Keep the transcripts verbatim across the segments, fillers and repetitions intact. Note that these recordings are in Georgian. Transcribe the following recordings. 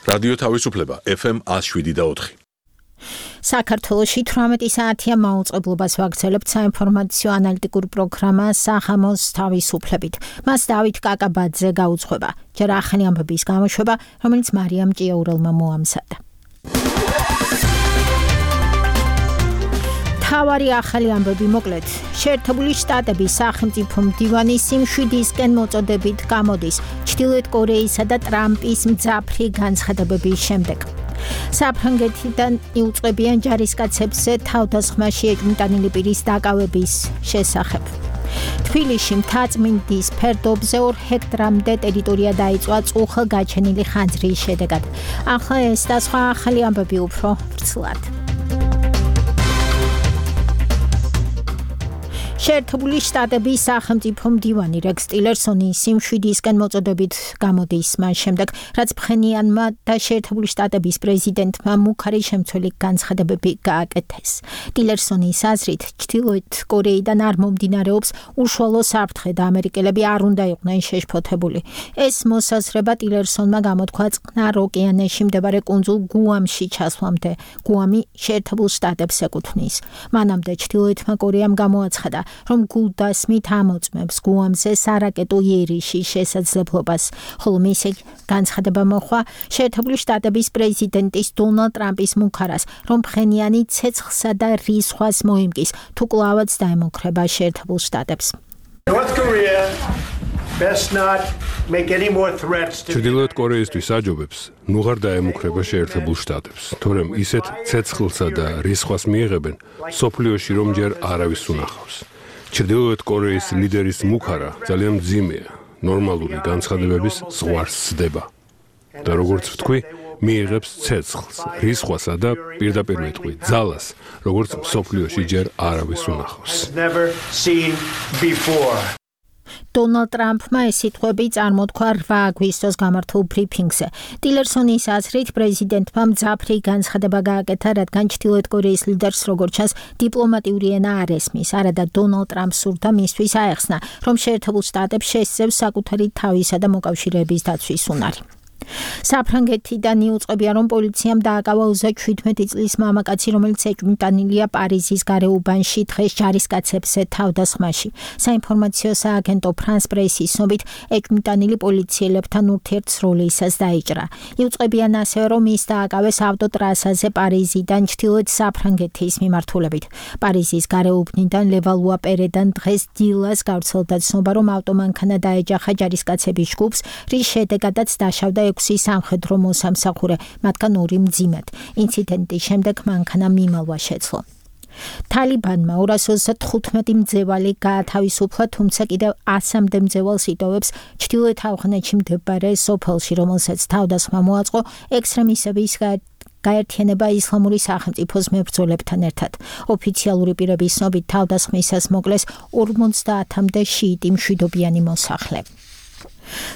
რადიო თავისუფლება ეფ ემ one oh seven და four. საქართველოში თვრამეტი საათია მაუწყებლობას ვაგრძელებთ საინფორმაციო ანალიტიკურ პროგრამა სახამოს თავისუფლებით. მას დავით კაკაბაძე გაუძღვება. ჯერ ახალი ამბების გამოშვება, რომელიც მარიამ ჭიაურელმა მოამზადა. თავარი ახალი ამბები მოკლედ. შეერთებული შტატების სახელმწიფო მდივანი სიმშვიდისკენ მოწოდებით გამოდის ჩრდილოეთ კორეისა და ტრამპის მძაფრი განცხადებების შემდეგ. საფრანგეთიდან იუწყებიან ჯარისკაცებზე თავდასხმაში ეჭვმიტანილი პირის დაკავების შესახებ. თბილისში მთაწმინდის ფერდობზე ორ ჰექტრამდე ტერიტორია დაიწვა წუხელგაჩენილი ხანძრის შედეგად. ახლა ეს და სხვა ახალი ამბები უფრო ვრცლად. შეერთებული შტატების სახელმწიფო მდივანი რეკს ტილერსონი სიმშვიდისკენ მოწოდებით გამოდის მას შემდეგ, რაც ფხენიანმა და შეერთებული შტატების პრეზიდენტმა მუქარი შემცველი განცხადებები გააკეთეს. ტილერსონის აზრით, ჩრდილოეთ კორეიდან არ მომდინარეობს უშუალო საფრთხე და ამერიკელები არ უნდა იყვნენ შეშფოთებული. ეს მოსაზრება ტილერსონმა გამოთქვა წყნარ ოკეანეში მდებარე კუნძულ გუამში ჩასვლამდე. გუამი შეერთებულ შტატებს ეკუთვნის. მანამდე ჩრდილოეთმა კორეამ გამოაცხადა, რომ გულდასმით ამოწმებს გუამზე სარაკეტო იერიში შესაძლებლობას, ხოლო მისი განცხადება მოხვა შეერთებული შტატების პრეზიდენტის დონალდ ტრამპის მუქარას, რომ ფხენიანი ცეცხლსა და რისხვას მოიმკის, თუ კვლავაც დაემუქრება შეერთებულ შტატებს. ჩრდილოეთ კორეისთვის აჯობებს ნუღარ დაემუქრება შეერთებულ შტატებს, თორემ ისეთ ცეცხლსა და რისხვას მიიღებენ სოფლიოში, რომ ჯერ არავის უნახავს. ჩრდილოეთ კორეის ლიდერის მუქარა ძალიან მძიმეა, ნორმალური განცხადებების ზღვარს სდება. და როგორც ვთქვი, მიიღებს ცეცხლს, რისხვასა და პირდაპირ ვეთქვი, ძალას, როგორც სოფლიოში ჯერ არავის უნახავს. დონალდ ტრამპმა ეს სიტყვები წარმოთქვა რვა აგვისტოს გამართულ ბრიფინგზე. ტილერსონის აზრით, პრეზიდენტმა მძაფრი განცხადება გააკეთა, რადგან ჩრდილოეთ კორეის ლიდერს როგორც ჩანს დიპლომატიური ენა არ ესმის. არადა დონალდ ტრამპს სურდა მისთვის აეხსნა, რომ შეერთებულ შტატებს შესწევს საკუთარი თავისა და მოკავშირეების დაცვის უნარი. საფრანგეთიდან იუწყებია, რომ პოლიციამ დააკავა ოცდაშვიდმეტი წლის მამაკაცი, რომელიც ეჭვმიტანილია პარიზის გარეუბანში დღეს ჯარისკაცებზე თავდასხმაში. საინფორმაციო სააგენტო ფრანს პრესის ცნობით, ეჭვმიტანილი პოლიციელებთან ურთიერთსროლისას დაიჭრა. იუწყებიან ასევე, რომ ის დააკავეს ავტოტრასაზე პარიზიდან ჩრდილოეთ საფრანგეთის მიმართულებით. პარიზის გარეუბნიდან ლევალუა პერედან დღეს დილას გავრცელდა ცნობა, რომ ავტომანქანა დაეჯახა ჯარისკაცების ჯგუფს, რის შედეგადაც დაშავდა ექვსი სამხედრო მოსამსახურე, მათგან ორი მძიმედ. ინციდენტის შემდეგ მანქანა მიმალვა შეძლო. თალიბანმა ორას ოცდათხუთმეტი მძევალი გაათავისუფლა, თუმცა კიდევ ასამდე მძევალს იტოვებს ჩრდილოეთ ავღანეთში მდებარე სოფელში, რომელსაც თავდასხმა მოაწყო ექსტრემისტების გაერთიანება ისლამური სახელმწიფოს მებრძოლებთან ერთად. ოფიციალური პირების ცნობით თავდასხმისას მოკლეს ორმოცდაათამდე შიიტი მშვიდობიანი მოსახლე.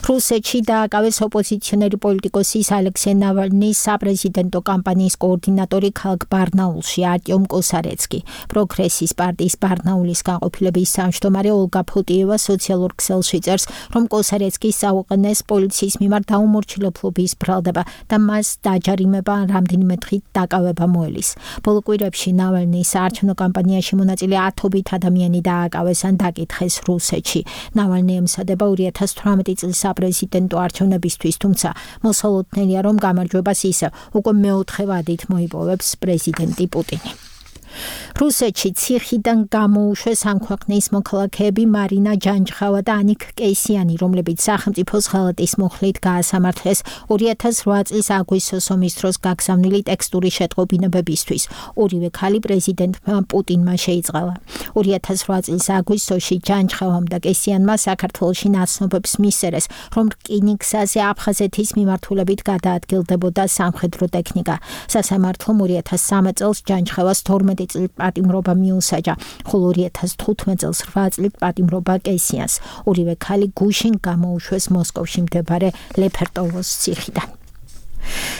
რუსეთში დააკავეს ოპოზიციონერი პოლიტიკოსის ალექსეი ნავალნის საპრეზიდენტო კამპანიის კოორდინატორი ქალაქ ბარნაულში არტიომ კოსარეცკი. პროგრესის პარტიის ბარნაულის განყოფილების თავმჯდომარე ოლგა ფუტიევა სოციალურ ქსელში წერს, რომ კოსარეცკის წაუყენეს პოლიციის მიმართ დაუმორჩილებლობის ბრალდება და მას დაჯარიმება რამდენიმე დღით დაკავება მოელის. ბოლო კვირებში ნავალნის საარჩევნო კამპანიაში მონაწილე ათობით ადამიანი დააკავეს ან დაკითხეს რუსეთში. ნავალნი ემსადება ორი ათას თვრამეტი წლის საპრეზიდენტო არჩევნებისთვის, თუმცა მოსალოდნელია, რომ გამარჯვებას ისევ უკვე მეოთხე ვადით მოიპოვებს პრეზიდენტი პუტინი. რუსეთში ციხიდან გამოუშვეს ამ ქვეყნის მოქალაქეები მარინა ჯანჯხავა და ანიკ კეისიანი, რომლებიც სახელმწიფოს ღალატის მუხლით გაასამართლეს ორი ათას რვა წლის აგვისტოს ომის დროს გაგზავნილი ტექსტური შეტყობინებებისთვის. ორივე ქალი პრეზიდენტმა პუტინმა შეიწყალა. ორი ათას რვა წლის აგვისტოში ჯანჯხავამ და კეისიანმა საქართველოში ნაცნობებს მისცეს, რომ რკინიგზაზე აფხაზეთის მიმართულებით გადაადგილდებოდა სამხედრო ტექნიკა. სასამართლომ ორი ათას სამი წელს ჯანჯხავას თორმეტი წლით პატიმრობა მიუსაჯა, ხოლო ორი ათას თხუთმეტ წელს რვა წლით პატიმრობა კეისიანს. ორივე ქალი გუშინ გამოუშვეს მოსკოვში მდებარე ლეფერტოვოს ციხიდან.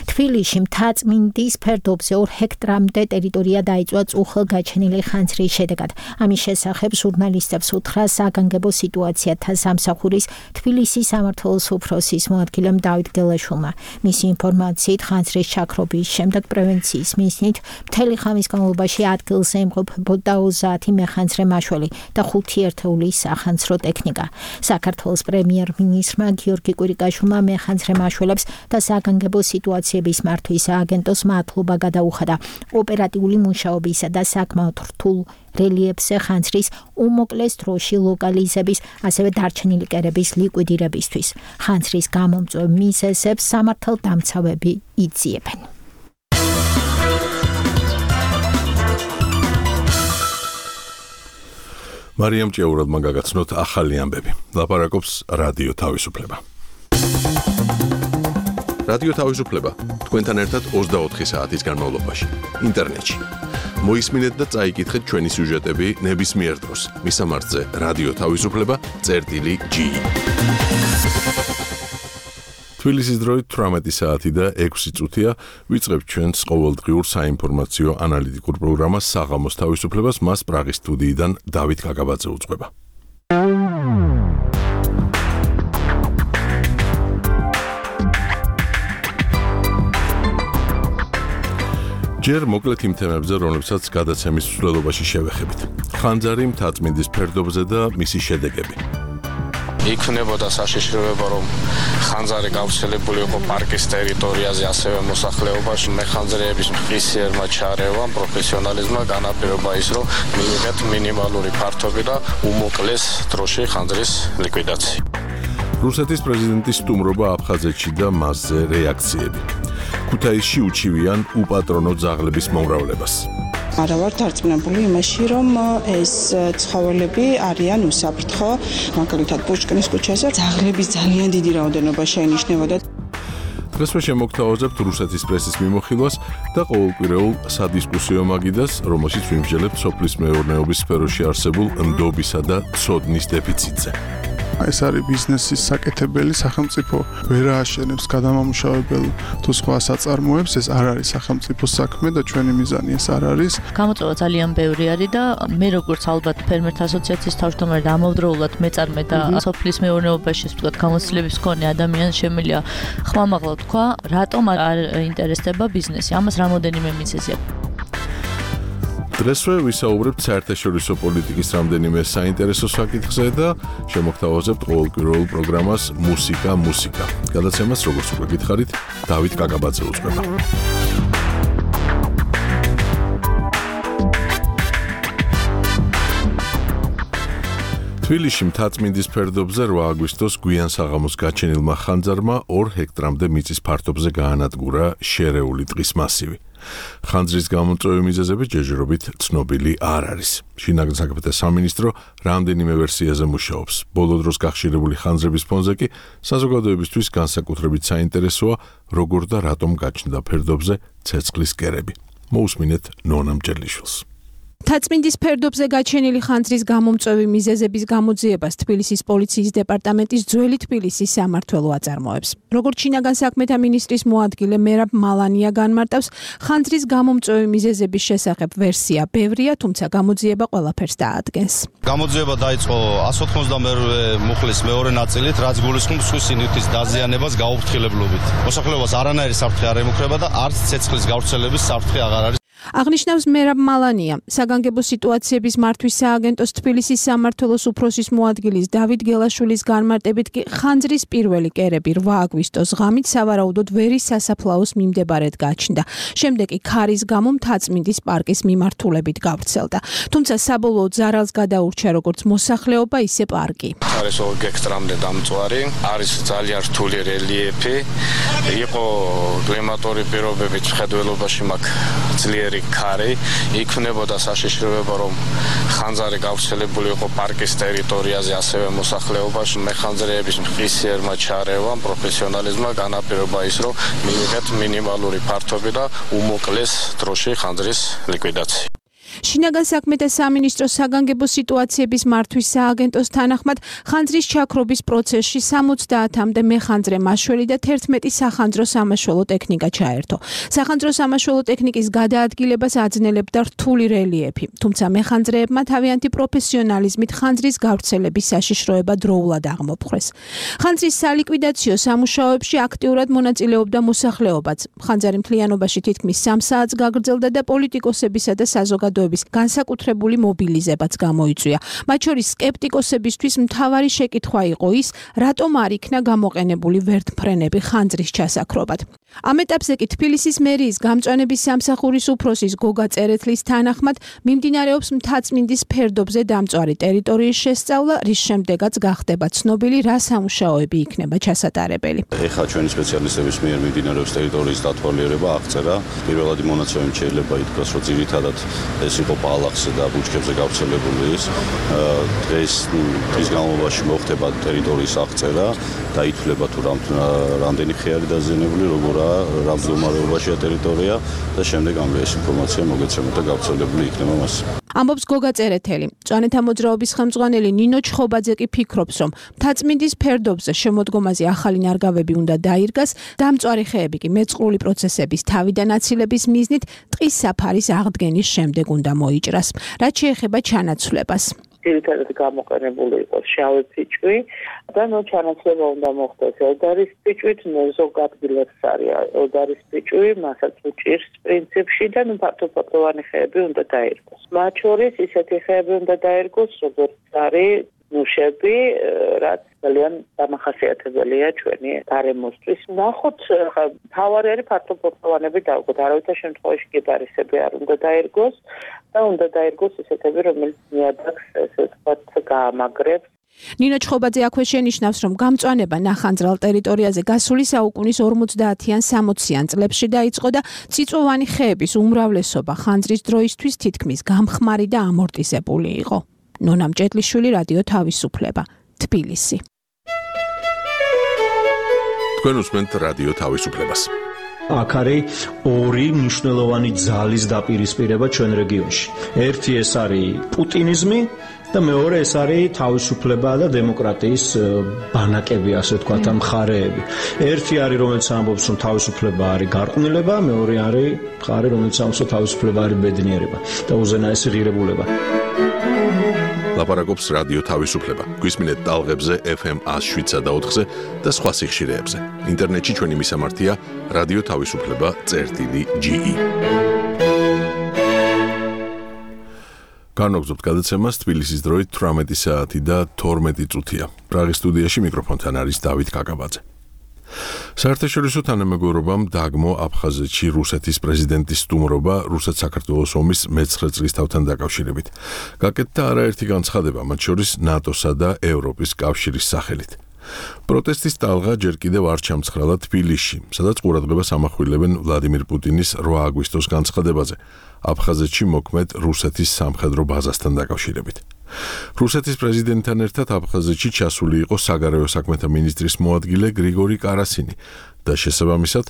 თბილისში მთაწმინდის ფერდობზე ორ ჰექტრამდე ტერიტორია დაიწვა წუხელ გაჩენილი ხანძრის შედეგად. ამის შესახებ ჟურნალისტებს უთხრა საგანგებო სიტუაციათა სამსახურის თბილისის სამმართველოს უფროსის მოადგილემ დავით გელაშვილმა. მისი ინფორმაციით ხანძრის ჩაქრობის შემდეგ პრევენციის მიზნით მთელი ხამის განმავლობაში ადგილზე იმყოფებოდა ოცდაათი მეხანძრე მაშველი და ხუთი ერთეული სახანძრო ტექნიკა. საქართველოს პრემიერ-მინისტრმა გიორგი კვირიკაშვილმა მეხანძრე მაშველებს და საგანგებო სიტუაციების მართვის სააგენტოს მადლობა გადაუხადა ოპერატიული მუშაობისა და საკმაოდ რთულ რელიეფზე ხანძრის უმოკლეს დროში ლოკალიზების, ასევე დარჩენილი კერების ლიკვიდირებისთვის. ხანძრის გამომწვევ მიზეზებს სამართალდამცავები იძიებენ. მარიამ ჭიაურადმა გაგაცნოთ ახალი ამბები. ლაპარაკობს რადიო თავისუფლება. რადიო თავისუფლება თქვენთან ერთად ოცდაოთხი საათის განმავლობაში ინტერნეტში. მოისმინეთ და წაიკითხეთ ჩვენი სიუჟეტები ნებისმიერ დროს. მისამართზე რადიო თავისუფლება წერტილი ჯი. თბილისის დროით თვრამეტი საათი და ექვსი წუთია ვიწყებთ ჩვენს ყოველდღიურ საინფორმაციო ანალიტიკურ პროგრამას საღამოს თავისუფლებას. მას პრაღის სტუდიიდან დავით გაგაბაძე უძღვება. ჯერ მოკლედ იმ თემებზე, რომლებსაც გადაცემის მსვლელობაში შევეხებით. ხანძარი მთაწმინდის ფერდობზე და მისი შედეგები. იქნებოდა საშიშროება, რომ ხანძარი გავრცელებული იყო პარკის ტერიტორიაზე, ასევე მოსახლეობაში. მეხანძრეების მყისიერმა ჩარევამ, პროფესიონალიზმმა განაპირობა ის, რომ მიიღეთ მინიმალური ფართობი და უმოკლეს დროში ხანძრის ლიკვიდაცია. რუსეთის პრეზიდენტის სტუმრობა აფხაზეთში და მასზე რეაქციები. ქუთაისში უჩივიან უპატრონო ძაღლების მომრავლებას. არა ვარ დარწმუნებული იმაში, რომ ეს ცხოველები არიან უსაფრთხო. მაგალითად, პუშკინის ქუჩაზე ძაღლების ძალიან დიდი რაოდენობა შეინიშნებოდა. დღესვე შემოგთავაზებთ რუსეთის პრესის მიმოხილვას და ყოველკვირეულ სადისკუსიო მაგიდას, რომელშიც ვიმსჯელებთ სოფლის მეურნეობის სფეროში არსებულ ნდობისა და ცოდნის დეფიციტზე. ეს არის ბიზნესის საკეთებელი, სახელმწიფო ვერ ააშენებს გადამამუშავებელ თუ სხვა საწარმოებს, ეს არ არის სახელმწიფოს საქმე და ჩვენი მიზანი ეს არ არის. გამოწვევა ძალიან ბევრი არის და მე როგორც ალბათ ფერმერთა ასოციაციის თავმჯდომარე და ამავდროულად მეწარმე და სოფლის მეურნეობაში ვთქვათ გამოცდილების მქონე ადამიანს შემიძლია ხმამაღლა თქვა, რატომ არ ინტერესდება ბიზნესი. ამას რამოდენიმე მიზეზია. დღესვე ვისაუბრებთ საერთაშორისო პოლიტიკის რამდენიმე საინტერესო საკითხზე და შემოგთავაზებთ ყოველკვირეულ პროგრამას მუსიკა მუსიკა. გადაცემას როგორც უკვე გითხარით, დავით გაგაბაძე უძღვება. თბილისში მთაწმინდის ფერდობზე რვა აგვისტოს გვიან საღამოს გაჩენილმა ხანძარმა ორ ჰექტრამდე მიწის ფართობზე გაანადგურა შერეული ტყის მასივი. ხანძრის გამომწვევი მიზეზები ჯერჯერობით ცნობილი არ არის. შინაგან საქმეთა სამინისტრო რამდენიმე ვერსიაზე მუშაობს. ბოლო დროს გახშირებული ხანძრების ფონზე კი საზოგადოებისთვის განსაკუთრებით საინტერესოა, როგორ და რატომ გაჩნდა ფერდობზე ცეცხლის კერები. მოусმინეთ ნონა მჭერლიშვილს. მთაწმინდის ფერდობზე გაჩენილი ხანძრის გამომწვევი მიზეზების გამოძიებას თბილისის პოლიციის დეპარტამენტის ძველი თბილისის სამმართველო აწარმოებს. როგორც შინაგან საქმეთა მინისტრის მოადგილე მერაბ მალანია განმარტავს, ხანძრის გამომწვევი მიზეზების შესახებ ვერსია ბევრია, თუმცა გამოძიება ყველაფერს დაადგენს. გამოძიება დაიწყო εκατს ოთხმოცდამეორე მუხლის მეორე ნაწილით, რაც გულისხმობს სხვის სინივთის დაზიანებას გაუფრთხილებლობით. მოსახლეობას არანაირი საფრთხე არ ემუქრება და არც ცეცხლის გავრცელების საფრთხე აღარ არის. აღნიშნავს მერაბ მალანია. საგანგებო სიტუაციების მართვის სააგენტოს თბილისის სამმართველოს უფროსის მოადგილის დავით გელაშვილის განმარტებით კი ხანძრის პირველი კერები რვა აგვისტოს ღამით სავარაუდოდ ვერის სასაფლაოს მიმდებარედ გაჩნდა. შემდეგ კი ქარის გამო მთაწმინდის პარკის მიმართულებით გავრცელდა. თუმცა საბოლოოდ ზარალს გადაურჩა როგორც მოსახლეობა, ისე პარკი. არის ორ ჰექტრამდე დამწვარი, არის ძალიან რთული რელიეფი, იყო კლიმატური პირობებით მხედველობაში მაქვს ძლიერი ქარი, იქნებოდა საშიშროება, რომ ხანძარი გავრცელებული იყო პარკის ტერიტორიაზე, ასევე მოსახლეობაში. მეხანძრეების მყისიერმა ჩარევამ, პროფესიონალიზმმა განაპირობა ის, რომ მიიღეთ მინიმალური ფართობი და უმოკლეს დროში ხანძრის ლიკვიდაცია. შინაგან საქმეთა სამინისტროს საგანგებო სიტუაციების მართვის სააგენტოს თანახმად ხანძრის ჩაქრობის პროცესში სამოცდაათამდე მეხანძრე მაშველი და თერთმეტი სახანძრო სამაშველო ტექნიკა ჩაერთო. სახანძრო სამაშველო ტექნიკის გადაადგილებას აძნელებდა რთული რელიეფი, თუმცა მეხანძრეებმა თავიანთი პროფესიონალიზმით ხანძრის გავრცელების საშიშროება დროულად აღმოფხვრეს. ხანძრის სალიკვიდაციო სამუშაოებში აქტიურად მონაწილეობდა მოსახლეობაც. ხანძარი მთლიანობაში თითქმის სამ საათს გაგრძელდა და პოლიტიკოსებისა და საზოგადოების განსაკუთრებული მობილიზებაც გამოიწვია. მათ შორის სკეპტიკოსებისთვის მთავარი შეკითხვა იყო ის, რატომ არ იქნა გამოყენებული ვერტმფრენები ხანძრის ჩასაქრობად. ამ ეტაპზე კი თბილისის მერიის გამწვანების სამსახურის უფროსის გოგა წერეთლის თანახმად მიმდინარეობს მთაწმინდის ფერდობზე დამწვარი ტერიტორიის შესწავლა, რის შემდეგაც გახდება ცნობილი, რა სამუშაოები იქნება ჩასატარებელი. ეხლა ჩვენი სპეციალისტების მიერ მიმდინარეობს ტერიტორიის დათვალიერება, აღწერა. პირველადი მონაცემებით შეიძლება ითქვას, რომ ძირითადად ეს იყო ბალახზე და ბუჩქებზე გავრცელებული ის. დღეს დღის განმავლობაში მოხდება ტერიტორიის აღწერა და ითვლება თუ რამდენი ხე არის დაზიანებული, როგორაა, რა მდგომარეობაშია ტერიტორია და შემდეგ ამ ეს ინფორმაცია მოგეცემოთ და გავრცელებული იქნება მას. ამბობს გოგა წერეთელი. მწვანეთა მოძრაობის ხელმძღვანელი ნინო ჩხობაძე კი ფიქრობს, რომ მთაწმინდის ფერდობზე შემოდგომაზე ახალი ნარგავები უნდა დაირგას, დამწვარი ხეები კი მეწყრული პროცესების თავიდან აცილების მიზნით ტყის საფარის აღდგენის შემდეგ უნდა მოიჭრას. რაც შეეხება ჩანაცვლებას. ძირითადად გამოყენებული იყოს შავი ფიჭვი და ნუ ჩანაცვლება უნდა მოხდეს ელდარის ფიჭვით, ზოგ ადგილას არის ელდარის ფიჭვი, მასაც უჭირს პრინციპში და ნუ ფართოფოთლოვანი ხეები უნდა დაირგოს. მათ შორის ისეთი ხეები უნდა დაირგოს, როგორც არის ნუშები, რაც ძალიან დამახასიათებელია ჩვენი გარემოსთვის. ნახოთ, თავარი არის ფართოფოთლოვანები დავგოთ, არავითარ შემთხვევაში კიპარისები არ უნდა დაირგოს და უნდა დაირგოს ისეთები, რომელიც ნიადაგს ესე ვთქვათ გაამაგრებს. ნინო ჩხობაძე აქვე შენიშნავს, რომ გამწვანება ნახანძრალ ტერიტორიაზე გასული საუკუნის ორმოცდაათიან სამოციან წლებში დაიწყო და წიწვოვანი ხეების უმრავლესობა ხანძრის დროისთვის თითქმის გამხმარი და ამორტიზებული იყო. ნონა მჭედლიშვილი, რადიო თავისუფლება, თბილისი. თქვენ უსმენთ რადიო თავისუფლებას. აქ არის ორი მნიშვნელოვანი ძალის დაპირისპირება ჩვენ რეგიონში. ერთი ეს არის პუტინიზმი და მეორე ეს არის თავისუფლება და დემოკრატიის ბანაკები, ასე ვთქვათ, მხარეები. ერთი არის, რომელიც ამბობს, რომ თავისუფლება არის გარყვნილება, მეორე არის მხარე, რომელიც ამბობს, რომ თავისუფლება არის ბედნიერება და უზენაესი ღირებულება. ლაპარაკობს რადიო თავისუფლება. გვისმინეთ ტალღებზე ეფ ემ one oh seven და ოთხზე და სხვა სიხშირეებზე. ინტერნეტში ჩვენი მისამართია რადიო თავისუფლება წერტილი ჯი ი. განაგზობთ გადაცემას თბილისის დროით თვრამეტი საათი და თორმეტი წუთია. პრაღის სტუდიაში მიკროფონთან არის დავით კაკაბაძე. საერთაშორისო თანამეგობრობამ დაგმო აფხაზეთში რუსეთის პრეზიდენტის სტუმრობა რუსეთ-საქართველოს ომის მეცხრე წლის თავთან დაკავშირებით. გაკეთდა არაერთი განცხადება, მათ შორის ნატოსა და ევროპის კავშირის სახელით. პროტესტის ტალღა ჯერ კიდევ არ ჩამცხრალა თბილისში, სადაც ყურადღებას ამახვილებენ ვლადიმირ პუტინის რვა აგვისტოს განცხადებაზე, აფხაზეთში მოქმედ რუსეთის სამხედრო ბაზასთან დაკავშირებით. რუსეთის პრეზიდენტთან ერთად აფხაზეთში ჩასული იყო საგარეო საქმეთა მინისტრის მოადგილე გრიგორი კარასინი და შესაბამისად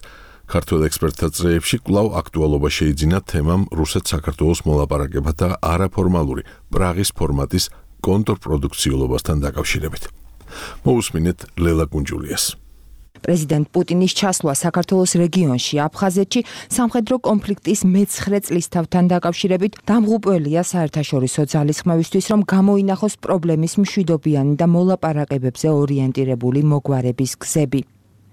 ქართველ ექსპერტთა წრეებში კვლავ აქტუალობა შეიძინა თემამ რუსეთ-საქართველოს მოლაპარაკება და არაფორმალური პრაღის ფორმატის კონტრპროდუქციულობასთან დაკავშირებით. მოусმინეთ ლელა კუნჯულიას. პრეზიდენტ პუტინის ჩასვლა საქართველოს რეგიონში აფხაზეთში სამხედრო კონფლიქტის მეცხრე წლისთავთან დაკავშირებით დამღუპველია საერთაშორისო ძალისხმევისთვის, რომ გამოინახოს პრობლემის მშვიდობიანი და მოლაპარაკებებზე ორიენტირებული მოგვარების გზები.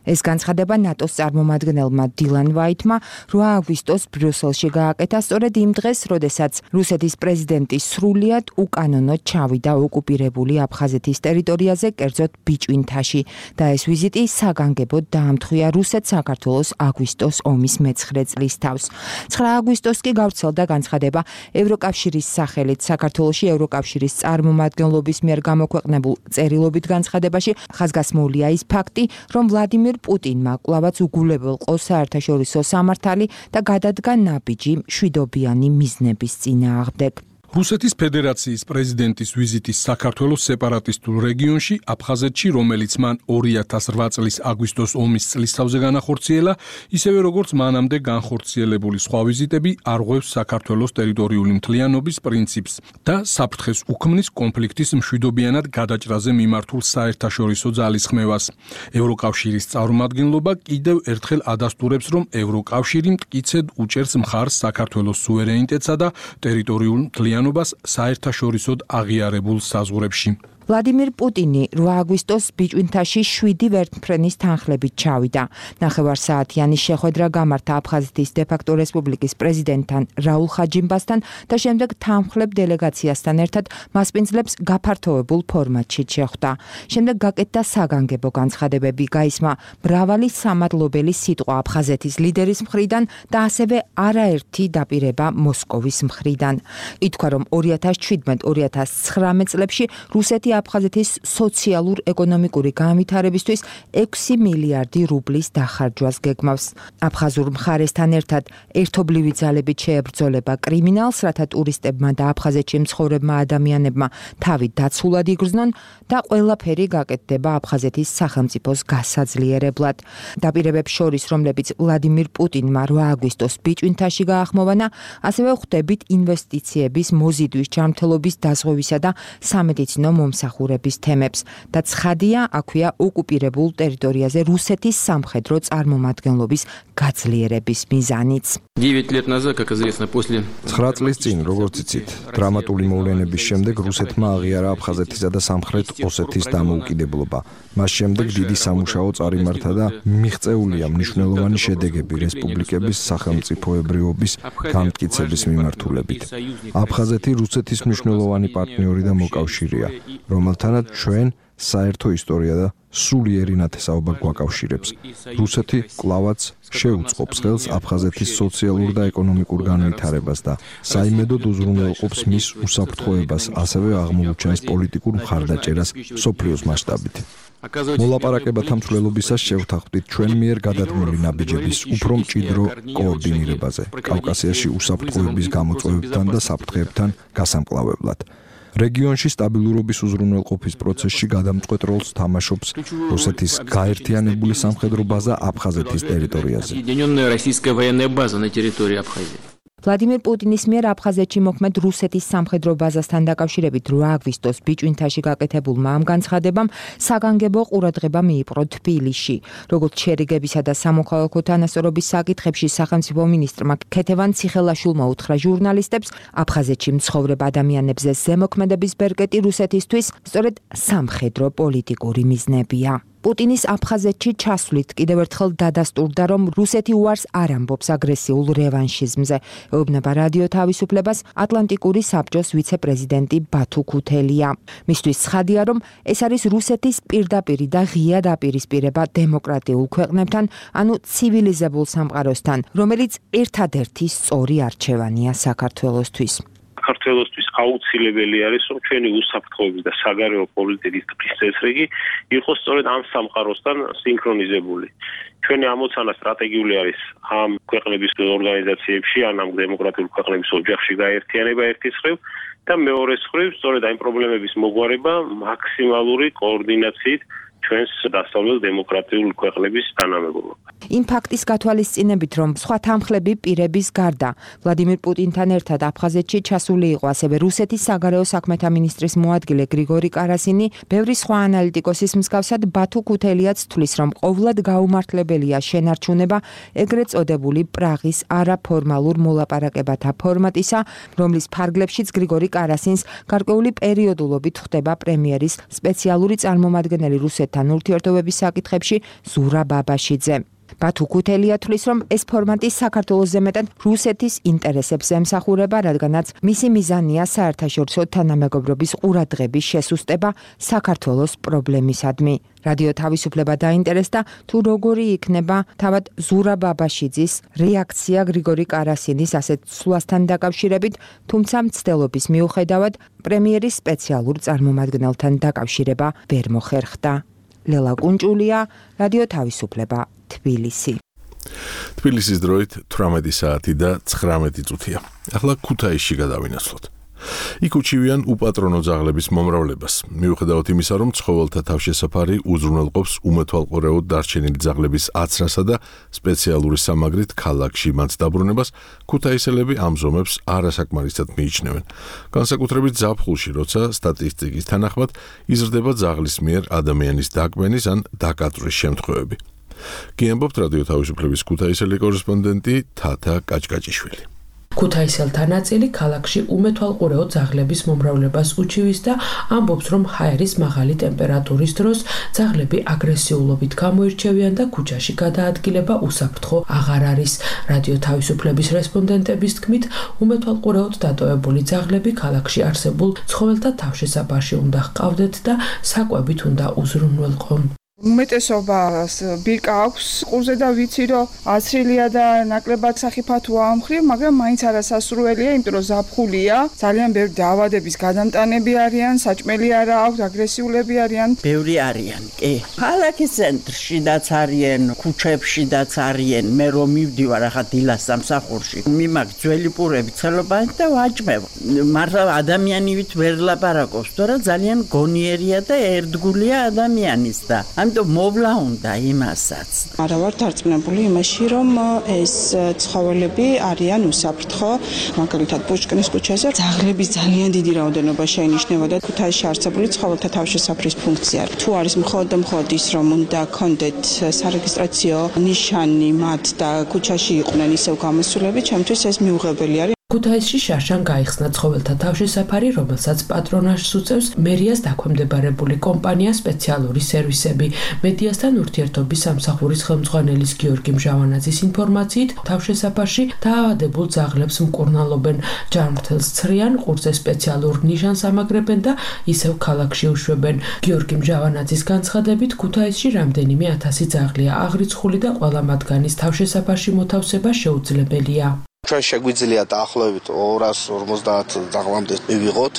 ეს განცხადება ნატოს წარმომადგენელმა დილან ვაიტმა რვა აგვისტოს ბრიუსელში გააკეთა სწორედ იმ დღეს, როდესაც რუსეთის პრეზიდენტი სრულიად უკანონოდ ჩავიდა ოკუპირებული აფხაზეთის ტერიტორიაზე, კერძოდ ბიჭვინთაში და ეს ვიზიტი საგანგებოდ დაამთხვია რუსეთ-საქართველოს აგვისტოს ომის მეცხრე წლის თავს. ცხრა აგვისტოს კი გავრცელდა განცხადება ევროკავშირის სახელით საქართველოში ევროკავშირის წარმომადგენლობის მიერ გამოქვეყნებულ წერილობით განცხადებაში ხაზგასმულია ის ფაქტი, რომ ვლადიმირ პუტინმა კვლავაც უგულებელყო საერთაშორისო სამართალი და გადადგა ნაბიჯი მშვიდობიანი მიზნების წინააღმდეგ. რუსეთის ფედერაციის პრეზიდენტის ვიზიტის საქართველოს სეპარატისტულ რეგიონში აფხაზეთში, რომელიც მან ორი ათას ოთხ წლის აგვისტოს ომის წლისთავზე განახორციელა, ისევე როგორც მანამდე განხორციელებული სხვა ვიზიტები არ ღვევს საქართველოს ტერიტორიული მთლიანობის პრინციპს და საფრთხეს უქმნის კონფლიქტის მშვიდობიანად გადაჭრაზე მიმართულ საერთაშორისო ძალისხმევას. ევროკავშირის წარმომადგენლობა კიდევ ერთხელ ადასტურებს, რომ ევროკავშირი მტკიცედ უჭერს მხარს საქართველოს სუვერენიტეტსა და ტერიტორიულ მთლიანობას საერთაშორისოდ აღიარებულ საზღვრებში. ვლადიმირ პუტინი რვა აგვისტოს ბიჭვინთაში შვიდი ვერტმფრენის თანხლებით ჩავიდა. ნახევარსაათიანი შეხვედრა გამართა აფხაზეთის დე-ფაქტო რესპუბლიკის პრეზიდენტთან რაულ ხაჯიმბასთან და შემდეგ თანხლებ დელეგაციასთან ერთად მასპინძლებს გაფართოვებულ ფორმატში შეხვდა. შემდეგ გაკეთდა საგანგებო განცხადებები, გაისმა მრავალი სამადლობელი სიტყვა აფხაზეთის ლიდერის მხრიდან და ასევე არაერთი დაპირება მოსკოვის მხრიდან. ითქვა, რომ ორი ათას შვიდმეტ ორი ათას ცხრამეტ წლებში რუსეთი აფხაზეთის სოციალურ-ეკონომიკური განვითარებისთვის ექვსი მილიარდი რუბლის დახარჯვას გეგმავს. აფხაზურ მხარესთან ერთად ერთობლივი ძალებით შეებრძოლება კრიმინალს, რათა ტურისტებმა და აფხაზეთში მცხოვრებმა ადამიანებმა თავი დაცულად იგრძნონ და ყველაფერი გაკეთდება აფხაზეთის სახელმწიფოს გასაძლიერებლად. დაპირებებს შორის, რომლებიც ვლადიმირ პუტინმა რვა აგვისტოს ბიჭვინთაში გაახმოვანა, ასევე ხვდებით ინვესტიციების მოზიდვის ჯანმრთელობის დაზღვევისა და სამედიცინო მომსახურების თემებს და ცხადია, აქვეა ოკუპირებულ ტერიტორიაზე რუსეთის სამხედრო წარმომადგენლობის გაძლიერების მიზანიც. ცხრა წლის წინ, როგორც იცით, დრამატული მოვლენების შემდეგ რუსეთმა აღიარა აფხაზეთისა და სამხრეთ ოსეთის დამოუკიდებლობა. მას შემდეგ დიდი სამუშაო წარიმართა და მიღწეულია მნიშვნელოვანი შედეგები რესპუბლიკების სახელმწიფოებრიობის განმტკიცების მიმართულებით. აფხაზეთი რუსეთის მნიშვნელოვანი პარტნიორი და მოკავშირეა, რომელთანაც ჩვენ საერთო ისტორია და სულიერი ნათესაობა გვაკავშირებს. რუსეთი კვლავაც შეუწყობს ხელს აფხაზეთის სოციალურ და ეკონომიკურ განვითარებას და საიმედოდ უზრუნველყოფს მის უსაფრთხოებას, ასევე აღმოუჩენს პოლიტიკურ მხარდაჭერას მსოფლიოს მასშტაბით. მოლაპარაკებათა მსვლელობისას შევთანხმდით ჩვენ მიერ გადადგმული ნაბიჯების უფრო მჭიდრო კოორდინირებაზე, კავკასიაში უსაფრთხოების გამოწვევებთან და საფრთხეებთან გასამკლავებლად. რეგიონში სტაბილურობის უზრუნველყოფის პროცესში გადამწყვეტ როლს თამაშობს რუსეთის გაერთიანებული სამხედრო ბაზა აფხაზეთის ტერიტორიაზე. ვლადიმირ პუტინის მიერ აფხაზეთში მოქმედ რუსეთის სამხედრო ბაზასთან დაკავშირებით რვა აგვისტოს ბიჭვინთაში გაკეთებულმა ამ განცხადებამ საგანგებო ყურადღება მიიპყრო თბილისში. როგორც შერიგებისა და სამოქალაქო თანასწორობის საკითხებში სახელმწიფო მინისტრმა ქეთევან ციხელაშვილმა უთხრა ჟურნალისტებს, აფხაზეთში მცხოვრებ ადამიანებზე ზემოქმედების ბერკეტი რუსეთისთვის სწორედ სამხედრო პოლიტიკური მიზნებია. პუტინის აფხაზეთში ჩასვლით კიდევ ერთხელ დადასტურდა, რომ რუსეთი უარს არ ამბობს აგრესიულ რევანშიზმზე. ეუბნება რადიო თავისუფლებას ატლანტიკური საბჭოს ვიცე-პრეზიდენტი ბათუ ქუთელია. მისთვის ცხადია, რომ ეს არის რუსეთის პირდაპირი და ღია დაპირისპირება დემოკრატიულ ქვეყნებთან, ანუ ცივილიზებულ სამყაროსთან, რომელიც ერთადერთი სწორი არჩევანია საქართველოსთვის. საქართველოსთვის აუცილებელი არის, რომ ჩვენი უსაფრთხოების და საგარეო პოლიტიკის ტყის წესრიგი იყოს სწორედ ამ სამყაროსთან სინქრონიზებული. ჩვენი ამოცანა სტრატეგიული არის ამ ქვეყნების ორგანიზაციებში, ან ამ დემოკრატიულ ქვეყნების ოჯახში გაერთიანება ერთის მხრივ და მეორეს მხრივ სწორედ ამ პრობლემების მოგვარება მაქსიმალური კოორდინაციით ჩვენს დასავლელ დემოკრატიულ ქვეყნების თანამებობა. იმ ფაქტის გათვალისწინებით, რომ სხვა თანხლები პირების გარდა ვლადიმირ პუტინთან ერთად აფხაზეთში ჩასული იყო ასევე რუსეთის საგარეო საქმეთა მინისტრის მოადგილე გრიგორი კარასინი, ბევრი სხვა ანალიტიკოსის მსგავსად ბათუ ქუთელიაც თვლის, რომ ყოვლად გაუმართლებელია შენარჩუნება ეგრეთ წოდებული პრაღის არაფორმალურ მოლაპარაკებათა ფორმატისა, რომლის ფარგლებშიც გრიგორი კარასინს გარკვეული პერიოდულობით ხდება პრემიერის სპეციალური წარმომადგენელი რუსეთთან ურთიერთობების საკითხებში ზურა ბაბაშიძე. ბათუ ქუთელია თვლის, რომ ეს ფორმატი საქართველოს მეტად რუსეთის ინტერესებს ემსახურება, რადგანაც მისი მიზანია საერთაშორისო თანამეგობრობის ყურადღების შესუსტება საქართველოს პრობლემისადმი. რადიო თავისუფლება დაინტერესდა, თუ როგორი იქნება თავად ზურა ბაბაშიძის რეაქცია გრიგორი კარასინის ასეთ ცვლასთან დაკავშირებით, თუმცა მცდელობის მიუხედავად პრემიერის სპეციალურ წარმომადგენელთან დაკავშირება ვერ მოხერხდა. ლელა კუნჭულია, რადიო თავისუფლება, თბილისი. თბილისის დროით თვრამეტი საათი და ცხრამეტი წუთია. ახლა ქუთაისში გადავინაცვლოთ. იქ უჩივიან უპატრონო ძაღლების მომრავლებას. მიუხედავად იმისა, რომ ცხოველთა თავშესაფარი უზრუნველყოფს უმეთვალყურეოდ დარჩენილი ძაღლების აცრასა და სპეციალური სამაგრით ქალაქში მათ დაბრუნებას, ქუთაისელები ამ ზომებს არასაკმარისად მიიჩნევენ. განსაკუთრებით ზაფხულში, როცა სტატისტიკის თანახმად იზრდება ძაღლის მიერ ადამიანის დაკბენის ან დაკაწვრის შემთხვევები. გიამბობთ რადიო თავისუფლების ქუთაისელი კორესპონდენტი თათა კაჭკაჭიშვილი. ქუთაისელთა ნაწილი ქალაქში უმეთვალყურეო ძაღლების მომრავლებას უჩივის და ამბობს, რომ ჰაერის მაღალი ტემპერატურის დროს ძაღლები აგრესიულობით გამოირჩევიან და ქუჩაში გადაადგილება უსაფრთხო აღარ არის. რადიო თავისუფლების რესპონდენტების თქმით, უმეთვალყურეოდ დატოვებული ძაღლები ქალაქში არსებულ ცხოველთა თავშესაფარში უნდა ჰყავდეთ და საკვებით უნდა უზრუნველყონ. უმეტესობას ბირკა აქვს ყურზე და ვიცი, რომ აცრილია და ნაკლებად სახიფათოა ამ ხრივ, მაგრამ მაინც არასასურველია, იმიტომ რომ ზაფხულია, ძალიან ბევრი დაავადების გადამტანები არიან, საჭმელი არა აქვს, აგრესიულები არიან. ბევრი არიან, კი. ქალაქის ცენტრშიდაც არიან, ქუჩებშიდაც არიან. მე რომ მივდივარ ახლა დილას სამსახურში, მიმაქ ძველი პურები ცელობანი და ვაჭმევ. მართლა ადამიანივით ვერ ლაპარაკობს, თორემ ძალიან გონიერია და ერთგულია ადამიანის და ამიტომ მოვლა უნდა იმასაც. არა ვარ დარწმუნებული იმაში, რომ ეს ცხოველები არიან უსაფრთხო, მაგალითად პუშკინის ქუჩაზე ძაღლების ძალიან დიდი რაოდენობა შეინიშნება და ქუთაისში არსებული ცხოველთა თავშესაფრის ფუნქცია. თუ არის მხოლოდ და მხოლოდ ის, რომ უნდა კონდეთ სარეგისტრაციო ნიშანი მათ და ქუჩაში იყვნენ ისევ გამოსულები, ჩემთვის ეს მიუღებელი არის. ქუთაისში შარშან გაიხსნა ცხოველთა თავშესაფარი, რომელსაც პატრონაჟს უწევს მერიას დაქვემდებარებული კომპანია სპეციალური სერვისები. მედიასთან ურთიერთობის სამსახურის ხელმძღვანელის გიორგი მჟავანაძის ინფორმაციით, თავშესაფარში დაავადებულ ძაღლებს მკურნალობენ, ჯანმრთელს ცრიან, ყურზე სპეციალურ ნიშანს ამაგრებენ და ისევ ქალაქში უშვებენ. გიორგი მჟავანაძის განცხადებით, ქუთაისში რამდენიმე ათასი ძაღლია აღრიცხული და ყველა მათგანის თავშესაფარში მოთავსება შეუძლებელია. ჩვენ შეგვიძლია დაახლოებით ორას ორმოცდაათ ძაღლამდე მივიღოთ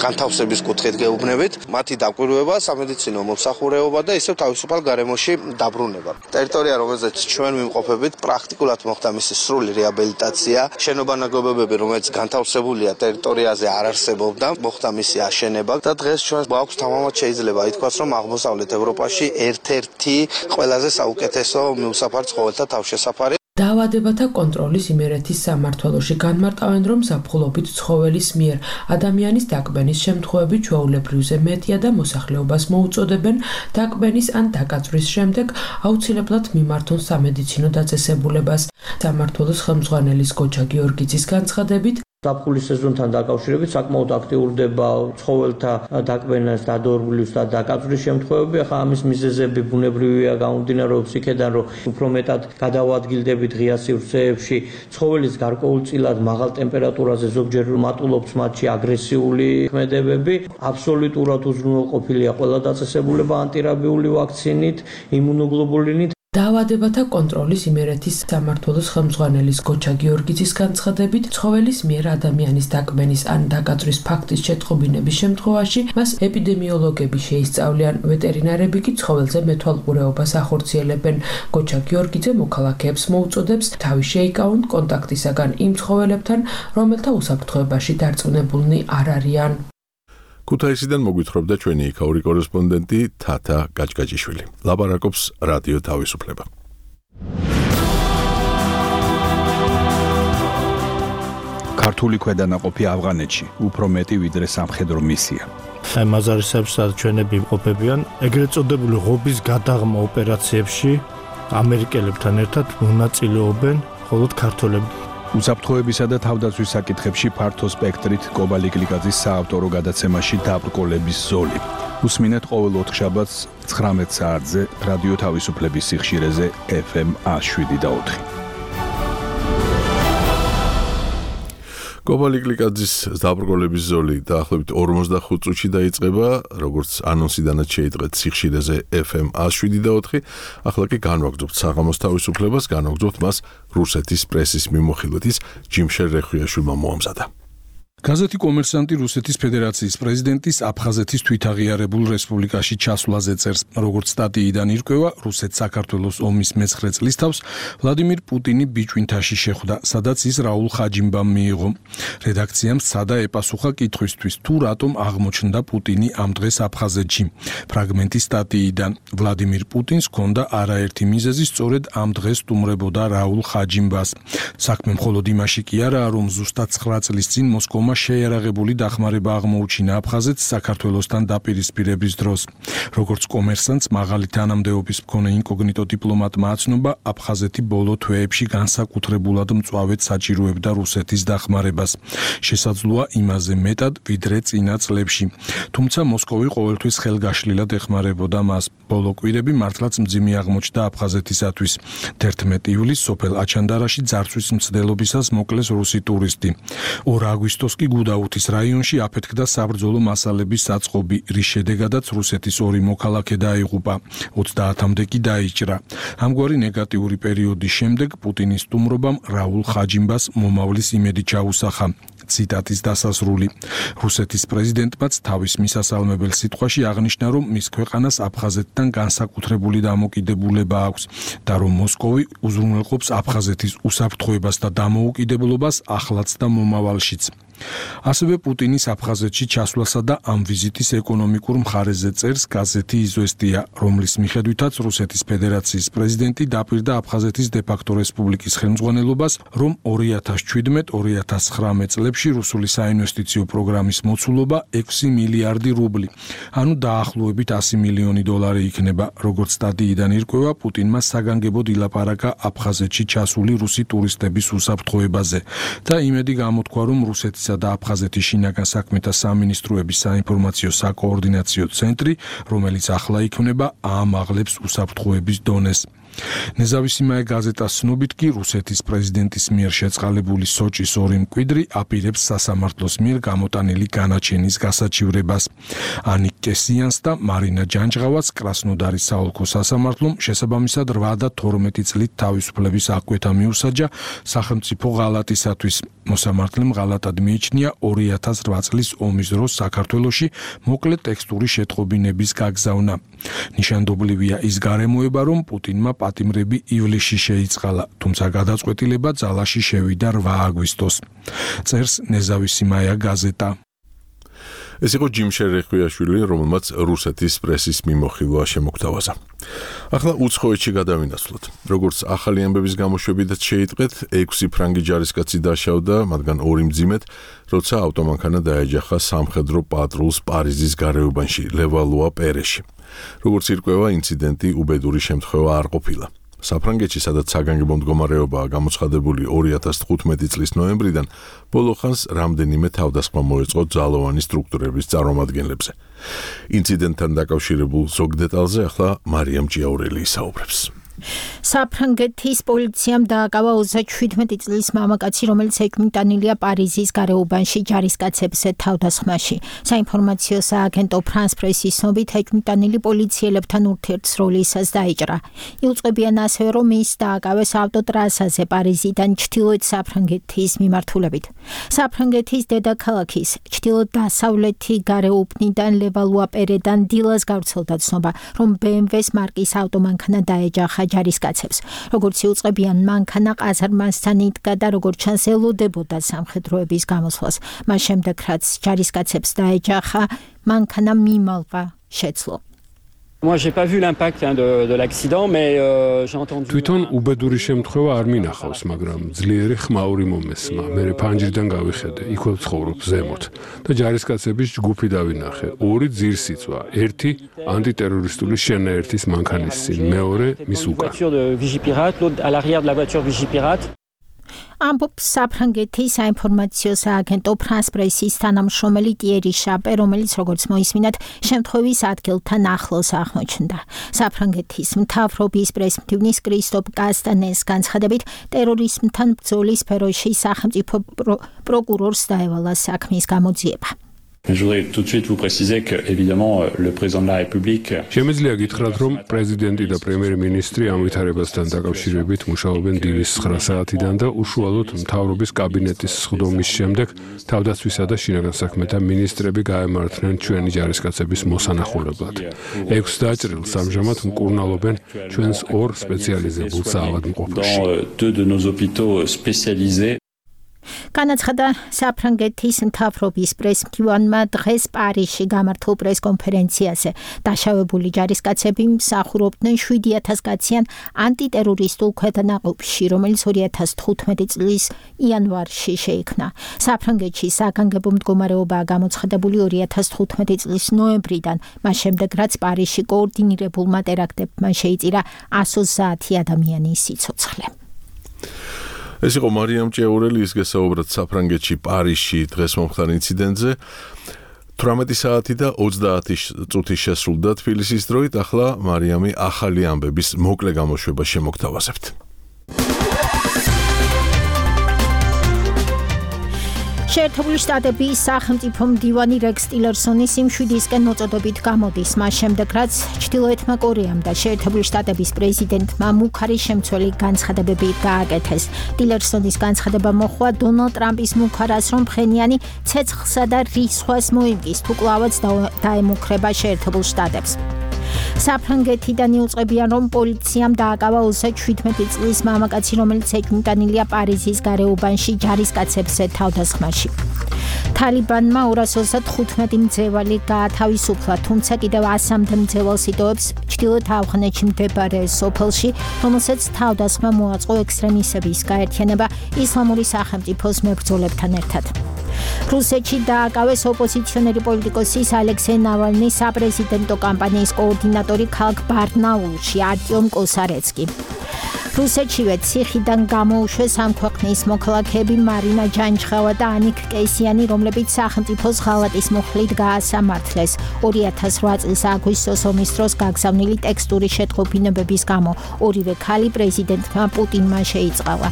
განთავსების კუთხით გეუბნებით, მათი დაკვირვება, სამედიცინო მომსახურეობა და ისევ თავისუფალ გარემოში დაბრუნება. ტერიტორია, რომელზეც ჩვენ ვიმყოფებით, პრაქტიკულად მოხდა მისი სრული რეაბილიტაცია. შენობა ნაგებობები, რომელიც განთავსებულია ტერიტორიაზე არ არსებობდა, მოხდა მისი აშენება და დღეს ჩვენ გვაქვს თამამად შეიძლება ითქვას, რომ აღმოსავლეთ ევროპაში ერთ-ერთი ყველაზე საუკეთესო მიუსაფარ ცხოველთა თავშესაფარი. დაავადებათა კონტროლის იმერეთის სამმართველოში განმარტავენ, რომ ზაფხულობით ცხოველის მიერ ადამიანის დაკბენის შემთხვევები ჩვეულებრივზე მეტია და მოსახლეობას მოუწოდებენ დაკბენის ან დაკაწვრის შემდეგ აუცილებლად მიმართონ სამედიცინო დაწესებულებას. სამმართველოს ხელმძღვანელის გოჩა გიორგიძის განცხადებით, ზაფხულის სეზონთან დაკავშირებით საკმაოდ აქტიურდება ცხოველთა დაკბენას, დადორბვლის და დაკაწვრის შემთხვევები. ახლა ამის მიზეზები ბუნებრივია, გამომდინარეობს იქედან, რომ უფრო მეტად გადავადგილდებით ღია სივრცეებში, ცხოველის გარკვეულწილად მაღალ ტემპერატურაზე ზოგჯერ მატულობს მათში აგრესიული ქმედებები. აბსოლუტურად უზრუნველყოფილია ყველა დაწესებულება ანტირაბიული ვაქცინით, იმუნოგლობულინით. დაავადებათა კონტროლის იმერეთის სამმართველოს ხელმძღვანელის გოჩა გიორგიძის განცხადებით, ცხოველის მიერ ადამიანის დაკბენის ან დაკაწვრის ფაქტის შეტყობინების შემთხვევაში მას ეპიდემიოლოგები შეისწავლიან, ვეტერინარები კი ცხოველზე მეთვალყურეობას ახორციელებენ. გოჩა გიორგიძე მოქალაქეებს მოუწოდებს თავი შეიკავონ კონტაქტისაგან იმ ცხოველებთან, რომელთა უსაფრთხოებაში დარწმუნებულნი არ არიან. ქუთაისიდან მოგვითხრობდა ჩვენი იქაური კორესპონდენტი თათა კაჭკაჭიშვილი. ლაპარაკობს რადიო თავისუფლება. ქართული ქვედანაყოფი ავღანეთში უფრო მეტი ვიდრე სამხედრო მისია. აი მაზარისებს ჩვენები იმყოფებიან ეგრეთ წოდებული ღობის გადაღმა ოპერაციებში ამერიკელებთან ერთად მონაწილეობენ მხოლოდ ქართველები. უსაფრთხოებისა და თავდაცვის საკითხებში ფართო სპექტრით კობალი გლიკაძის საავტორო გადაცემაში დაბრკოლების ზოლი. უსმინეთ ყოველ ოთხშაბათს ცხრამეტ საათზე რადიო თავისუფლების სიხშირეზე ეფ ემ შვიდ და ოთხი. კობალი გლიკაძის დაბრკოლების ზოლი დაახლოებით ორმოცდახუთ წუთში დაიწყება, როგორც ანონსიდანაც შეიტყეთ სიხშირეზე ეფ ემ შვიდ და ოთხი. ახლა კი განვაგრძობთ საღამოს თავისუფლებას, განვაგრძობთ მას რუსეთის პრესის მიმოხილვით, ჯიმშერ რეხვიაშვილმა მოამზადა. გაზეთი კომერსანტი რუსეთის ფედერაციის პრეზიდენტის აფხაზეთის თვითაღიარებულ რესპუბლიკაში ჩასვლაზე წერს. როგორც სტატიიდან ირკვევა, რუსეთ-საქართველოს ომის მეცხრე წლისთავს ვლადიმირ პუტინი ბიჭვინთაში შეხვდა, სადაც ის რაულ ხაჯიმბამ მიიღო. რედაქციამ სცადა ეპასუხა კითხვისთვის, თუ რატომ აღმოჩნდა პუტინი ამ დღეს აფხაზეთში. ფრაგმენტი სტატიიდან. ვლადიმირ პუტინს ჰქონდა არაერთი მიზეზი სწორედ ამ დღეს სტუმრებოდა რაულ ხაჯიმბას. საქმე მხოლოდ იმაში კი არაა, რომ ზუსტად ცხრა წლის წინ მოსკოვმა შეიარაღებული დახმარება აღმოუჩინა აფხაზეთს საქართველოსთან დაპირისპირების დროს. როგორც კომერსანტს მაღალი თანამდებობის მქონე ინკოგნიტო დიპლომატმა აცნობა, აფხაზეთი ბოლო თვეებში განსაკუთრებულად მწვავედ საჭიროებდა რუსეთის დახმარებას. შესაძლოა იმაზე მეტად, ვიდრე წინა წლებში. თუმცა მოსკოვი ყოველთვის ხელგაშლილად ეხმარებოდა მას. ბოლო კვირები მართლაც მძიმე აღმოჩნდა აფხაზეთისათვის. თერთმეტი ივლისს სოფელ აჩანდარაში ძარცვის მცდელობისას მოკლეს რუსი ტურისტი. ორ აგვისტოს კი გუდაუთის რაიონში აფეთქდა საბრძოლო მასალების საწყობი, რის შედეგადაც რუსეთის ორი მოქალაქე დაიღუპა, ოცდაათამდე კი დაიჭრა. ამგვარი ნეგატიური პერიოდის შემდეგ პუტინის სტუმრობამ რაულ ხაჯიმბას მომავლის იმედი ჩაუსახა. ციტატის დასასრული. რუსეთის პრეზიდენტმაც თავის მისასალმებელ სიტყვაში აღნიშნა, რომ მის ქვეყანას აფხაზეთთან განსაკუთრებული დამოკიდებულება აქვს და რომ მოსკოვი უზრუნველყოფს აფხაზეთის უსაფრთხოებას და დამოუკიდებლობას ახლაც და მომავალშიც. ასევე პუტინის აფხაზეთში ჩასვლასა და ამ ვიზიტის ეკონომიკურ მხარეზე წერს გაზეთი იზვესტია, რომლის მიხედვითაც რუსეთის ფედერაციის პრეზიდენტი დაპირდა აფხაზეთის დე-ფაქტო რესპუბლიკის ხელმძღვანელობას, რომ ორი ათას შვიდმეტ ორი ათას ცხრამეტ წლებში რუსული საინვესტიციო პროგრამის მოცულობა ექვსი მილიარდი რუბლი, ანუ დაახლოებით ასი მილიონი დოლარი იქნება. როგორც სტატიიდან ირკვევა, პუტინმა საგანგებოდ ილაპარაკა აფხაზეთში ჩასული რუსი ტურისტების უსაფრთხოებაზე და იმედი გამოთქვა, რომ რუსეთის და აფხაზეთის შინაგან საქმეთა სამინისტროების საინფორმაციო საკოორდინაციო ცენტრი, რომელიც ახლა იქმნება, აამაღლებს უსაფრთხოების დონეს. ნეზავისიმაე გაზეტას ცნობით კი რუსეთის პრეზიდენტის მიერ შეწყალებული სოჭის ორი მკვიდრი აპირებს სასამართლოს მიერ გამოტანილი განაჩენის გასაჩივრებას. ანიკ კესიანს და მარინა ჯანჯღავას კრასნოდარის საოლქო სასამართლომ შესაბამისად რვა და თორმეტი წლით თავისუფლების აღკვეთა მიუსაჯა სახელმწიფო ღალატისათვის. მოსამართლემ ღალატად მიიჩნია ორი ათას რვა წლის ომის დროს საქართველოში მოკლე ტექსტური შეტყობინების გაგზავნა. ნიშანდობლივია ის გარემოება, რომ პუტინმა პატიმრები ივლისში შეიწყალა, თუმცა გადაწყვეტილება ძალაში შევიდა რვა აგვისტოს. წერს ნეზავისიმაია გაზეტა. ეს იყო ჯიმ შერეხვიაშვილი, რომელმაც რუსეთის პრესის მიმოხილვა შემოგთავაზა. ახლა უცხოეთში გადავინაცვლოთ. როგორც ახალი ამბების გამოშვებითაც შეიტყვეთ, ექვსი ფრანგი ჯარისკაცი დაშავდა, მათგან ორი მძიმედ, როცა ავტომანქანა დაეჯახა სამხედრო პატრულს პარიზის გარეუბანში, ლევალუა პერეში. როგორც ირკვევა, ინციდენტი უბედური შემთხვევა არ ყოფილა. საფრანგეთში, სადაც საგანგებო მდგომარეობაა გამოცხადებული ორი ათას თხუთმეტი წლის ნოემბრიდან, ბოლო ხანს რამდენიმე თავდასხმა მოეწყო ძალოვანი სტრუქტურების წარმომადგენლებზე. ინციდენტთან დაკავშირებულ ზოგ დეტალზე ახლა მარიამ ჭიაურელი ისაუბრებს. საფრანგეთის პოლიციამ დააკავა ოცდაშვიდმეტი წლის მამაკაცი, რომელიც ეკვიტანილია პარიზის გარეუბანში ჯარისკაცებს თავდასხმაში. საინფორმაციო სააგენტო ფრანს პრესის ცნობით, ეკვიტანილი პოლიციელებთან ურთიერთსროლისას დაიჭრა. იუწყებიან ასევე, რომ ის დააკავეს ავტოტრასაზე პარიზიდან ჩრდილოეთ საფრანგეთის მიმართულებით. საფრანგეთის დედაქალაქის ჩრდილო-დასავლეთი გარეუბნიდან ლევალუა-პერედან დილას გავრცელდა ცნობა, რომ ბე ემ ვეს მარკის ავტომანქანა დაეჯახა ჯარისკაცებს. როგორც იუწყებიან, მანქანა ყაზარმასთან იდგა და როგორც ჩანს ელოდებოდა სამხედროების გამოსვლას. მას შემდეგ, რაც ჯარისკაცებს დაეჯახა, მანქანა მიმალვა შეძლო. Moi j'ai pas vu l'impact hein, de, de l'accident mais euh, j'ai entendu თვითონ უბედური შემთხვევა არ მინახავს, მაგრამ ძლიერი ხმაური მომესმა. მე ფანჯრიდან გავიხედე, იქვე ვცხოვრობ ზემოთ და ჯარისკაცების ჯგუფი დავინახე. ორი ძირსიწვა, ერთი ანტიტერორისტული შენაერთის მანქანის წინ, მეორე მის უკან. ამბობს საფრანგეთის საინფორმაციო სააგენტო ფრანს პრესის თანამშრომელი ტიერი შაპე, რომელიც როგორც მოისმინათ, შემთხვევის ადგილთან ახლოს აღმოჩნდა. საფრანგეთის მთავრობის პრესმდივნის კრისტოპ კასტანეს განცხადებით, ტერორიზმთან ბრძოლის სფეროში სახელმწიფო პროკურორს დაევალა საქმის გამოძიება. Je voudrais tout de suite vous préciser que, évidemment, le président de la République. შემიძლია გითხრათ, რომ პრეზიდენტი და პრემიერ-მინისტრი ამ ვითარებასთან დაკავშირებით მუშაობენ დილის ცხრა საათიდან და უშუალოდ მთავრობის კაბინეტის სხდომის შემდეგ თავდაცვისა და შინაგან საქმეთა მინისტრები გაემართნენ ჩვენი ჯარისკაცების მოსანახულებლად. ექვს დაჭრილს ამჟამად მკურნალობენ ჩვენს ორ სპეციალიზებულ საავადმყოფოში. Deux de nos hôpitaux spécialisés. განაცხადა საფრანგეთის მთავრობის პრესმდივანმა დღეს პარიზში გამართულ პრესკონფერენციაზე. დაშავებული ჯარისკაცები მსახურობდნენ შვიდი ათას კაციან ანტიტერორისტულ ქვედანაყოფში, რომელიც ორი ათას თხუთმეტი წლის იანვარში შეიქმნა. საფრანგეთში საგანგებო მდგომარეობაა გამოცხადებული ორი ათას თხუთმეტი წლის ნოემბრიდან, მას შემდეგ რაც პარიზში კოორდინირებულმა ტერაქტებმა შეიწირა ასოცაათი ადამიანის სიცოცხლე. ეს იყო მარიამ ჭეურელი, ის გესაუბრათ საფრანგეთში პარიზში დღეს მომხდარ ინციდენტზე. თვრამეტი საათი და ოცდაათი წუთი შესრულდა თბილისის დროით, ახლა მარიამი ახალი ამბების მოკლე გამოშვება შემოგთავაზებთ. შეერთებული შტატების სახელმწიფო მდივანი რეკს ტილერსონი სიმშვიდისკენ მოწოდებით გამოდის, მას შემდეგ რაც ჩრდილოეთმა კორეამ და შეერთებული შტატების პრეზიდენტმა მუქარი შემცველი განცხადებები გააკეთეს. ტილერსონის განცხადება მოჰყვა დონალდ ტრამპის მუქარას, რომ ფხენიანი ცეცხლსა და რისხვას მოიმკის, თუ კლავაც დაემუქრება შეერთებულ შტატებს. საფრანგეთიდან იუწყებიან, რომ პოლიციამ დააკავა ოცდაშვიდმეტი წლის მამაკაცი, რომელიც ეჭვმიტანილია პარიზის გარეუბანში ჯარისკაცებზე თავდასხმაში. თალიბანმა ორას ოცდათხუთმეტი მძევალი გაათავისუფლა, თუმცა კიდევ ასამდე მძევალს იტოვებს ჩრდილოეთ ავღანეთში მდებარე სოფელში, რომელსაც თავდასხმა მოაწყო ექსტრემისტების გაერთიანება ისლამური სახელმწიფოს მებრძოლებთან ერთად. რუსეთში დააკავეს ოპოზიციონერი პოლიტიკოსის ალექსეი ნავალნის საპრეზიდენტო კამპანიის კოორდინატორი ქალაქ ბარნაულში არტიომ კოსარეცკი. რუსეთშივე ციხიდან გამოუშვეს ამ ქვეყნის მოქალაქეები მარინა ჯანჯღავა და ანიკ კეისიანი, რომლებიც სახელმწიფოს ღალატის მუხლით გაასამართლეს ორი ათას რვა წლის აგვისტოს ომის დროს გაგზავნილი ტექსტური შეტყობინებების გამო. ორივე ქალი პრეზიდენტმა პუტინმა შეიწყალა.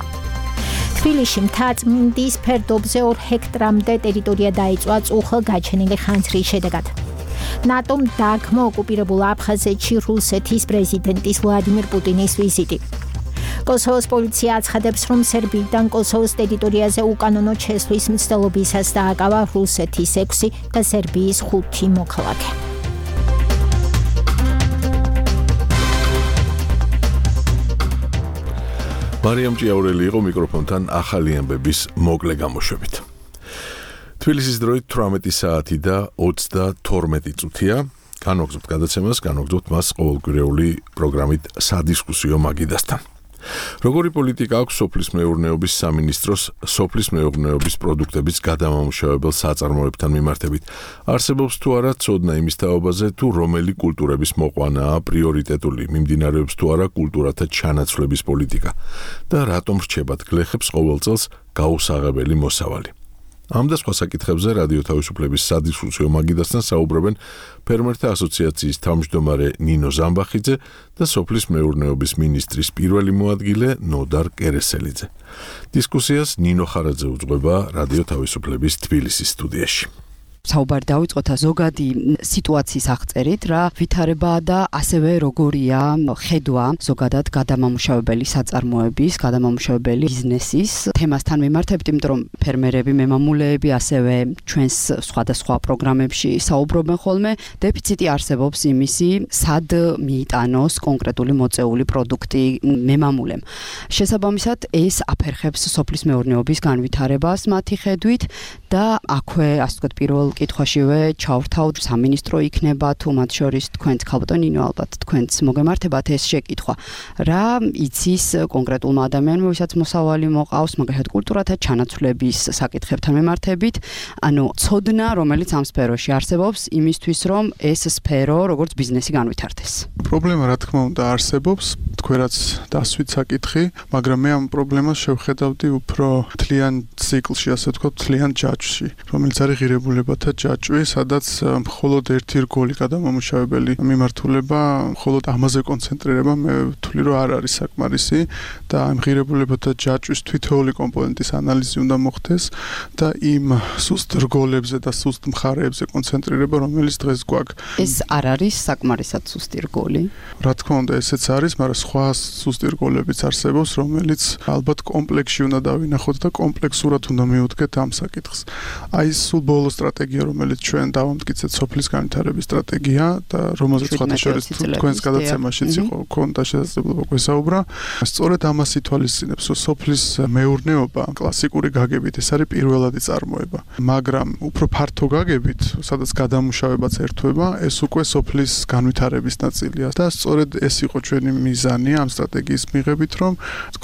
თბილისში მთაწმინდის ფერდობზე ორ ჰექტრამდე ტერიტორია დაიწვა წუხელგაჩენილი ხანძრის შედეგად. ნატომ დაგმო ოკუპირებულ აფხაზეთში რუსეთის პრეზიდენტის ვლადიმირ პუტინის ვიზიტი. კოსოვოს პოლიცია აცხადებს, რომ სერბიიდან კოსოვოს ტერიტორიაზე უკანონო შესვლის მცდელობისას დააკავა რუსეთის ექვსი და სერბიის ხუთი მოქალაქე. მარიამ ჭიაურელი იყო მიკროფონთან ახალი ამბების მოკლე გამოშვებით. თბილისის დროით თვრამეტი საათი და ოცდათორმეტი წუთია. განვაგრძობთ გადაცემას, განვაგრძობთ მას ყოველკვირეული პროგრამით სადისკუსიო მაგიდასთან. როგორი პოლიტიკა აქვს სოფლის მეურნეობის სამინისტროს სოფლის მეურნეობის პროდუქტების გადამამუშავებელ საწარმოებთან მიმართებით? არსებობს თუ არა ცოდნა იმის თაობაზე, თუ რომელი კულტურების მოყვანაა პრიორიტეტული, მიმდინარეობს თუ არა კულტურათა ჩანაცვლების პოლიტიკა და რატომ რჩებათ გლეხებს ყოველ წელს გაუსაღებელი მოსავალი? ამ და სხვა საკითხებზე რადიო თავისუფლების სადისკუსიო მაგიდასთან საუბრობენ ფერმერთა ასოციაციის თავმჯდომარე ნინო ზამბახიძე და სოფლის მეურნეობის მინისტრის პირველი მოადგილე ნოდარ კერესელიძე. დისკუსიას ნინო ხარაძე უძღვება რადიო თავისუფლების თბილისის სტუდიაში. საუბარი დავიწყოთ ზოგადი სიტუაციის აღწერით, რა ვითარებაა და ასევე როგორია ხედვა ზოგადად გადამამუშავებელი საწარმოების, გადამამუშავებელი ბიზნესის თემასთან მიმართებით, იმიტომ რომ ფერმერები, მემამულეები, ასევე ჩვენს სხვადასხვა პროგრამებში საუბრობენ ხოლმე, დეფიციტი არსებობს იმისი, სად მიიტანოს კონკრეტული მოწეული პროდუქტი მემამულემ. შესაბამისად, ეს აფერხებს სოფლის მეურნეობის განვითარებას მათი ხედვით და აქვე, ასე ვთქვათ, პირველ კითხვაშივე ჩავრთავთ, სამინისტრო იქნება თუ მათ შორის თქვენც ქალბატონ ნინო, ალბათ თქვენც მოგემართებათ ეს შეკითხვა. რა იცის კონკრეტულმა ადამიანმა, ვისაც მოსავალი მოყავს, მაგალითად კულტურათა ჩანაცვლების საკითხებთან მიმართებით, ანუ ცოდნა, რომელიც ამ სფეროში არსებობს, იმისთვის რომ ეს სფერო როგორც ბიზნესი განვითარდეს. პრობლემა რა თქმა უნდა არსებობს, თქვენაც დასვით საკითხი, მაგრამ მე ამ პრობლემას შევხედავდი უფრო თლიან ციკლში, ასე ვთქვათ, თლიან ჯაჭვში, რომელიც არის ღირებულებათა ჯაჭვი, სადაც მხოლოდ ერთი რგოლი გადამამუშავებელი მიმართულება, მხოლოდ ამაზე კონცენტრირება, მე ვთვლი, რომ არ არის საკმარისი და ამ ღირებულებათა ჯაჭვის თითოეული კომპონენტის ანალიზი უნდა მოხდეს და იმ სუსტ რგოლებზე და სუსტ მხარეებზე კონცენტრირება, რომელიც დღეს გვაქვს. ეს არ არის საკმარისად სუსტი რგოლი? რა თქმა უნდა, ესეც არის, მაგრამ სხვა სუსტი რგოლებიც არსებობს, რომელიც ალბათ კომპლექსში უნდა დავინახოთ და კომპლექსურად უნდა მივუდგეთ ამ საკითხს. აი ეს სულ ბოლო სტრატეგია, რომელიც ჩვენ დავამტკიცეთ სოფლის განვითარების სტრატეგია და რომელზეც სხვათა შორის თქვენს გადაცემაშიც იყო ქონდა შესაძლებლობა გვესაუბრა, სწორედ ამას ითვალისწინებს, რომ სოფლის მეურნეობა კლასიკური გაგებით ეს არის პირველადი წარმოება, მაგრამ უფრო ფართო გაგებით, სადაც გადამუშავებაც ერთვება, ეს უკვე სოფლის განვითარების ნაწილია და სწორედ ეს იყო ჩვენი მიზანი ამ სტრატეგიის მიღებით, რომ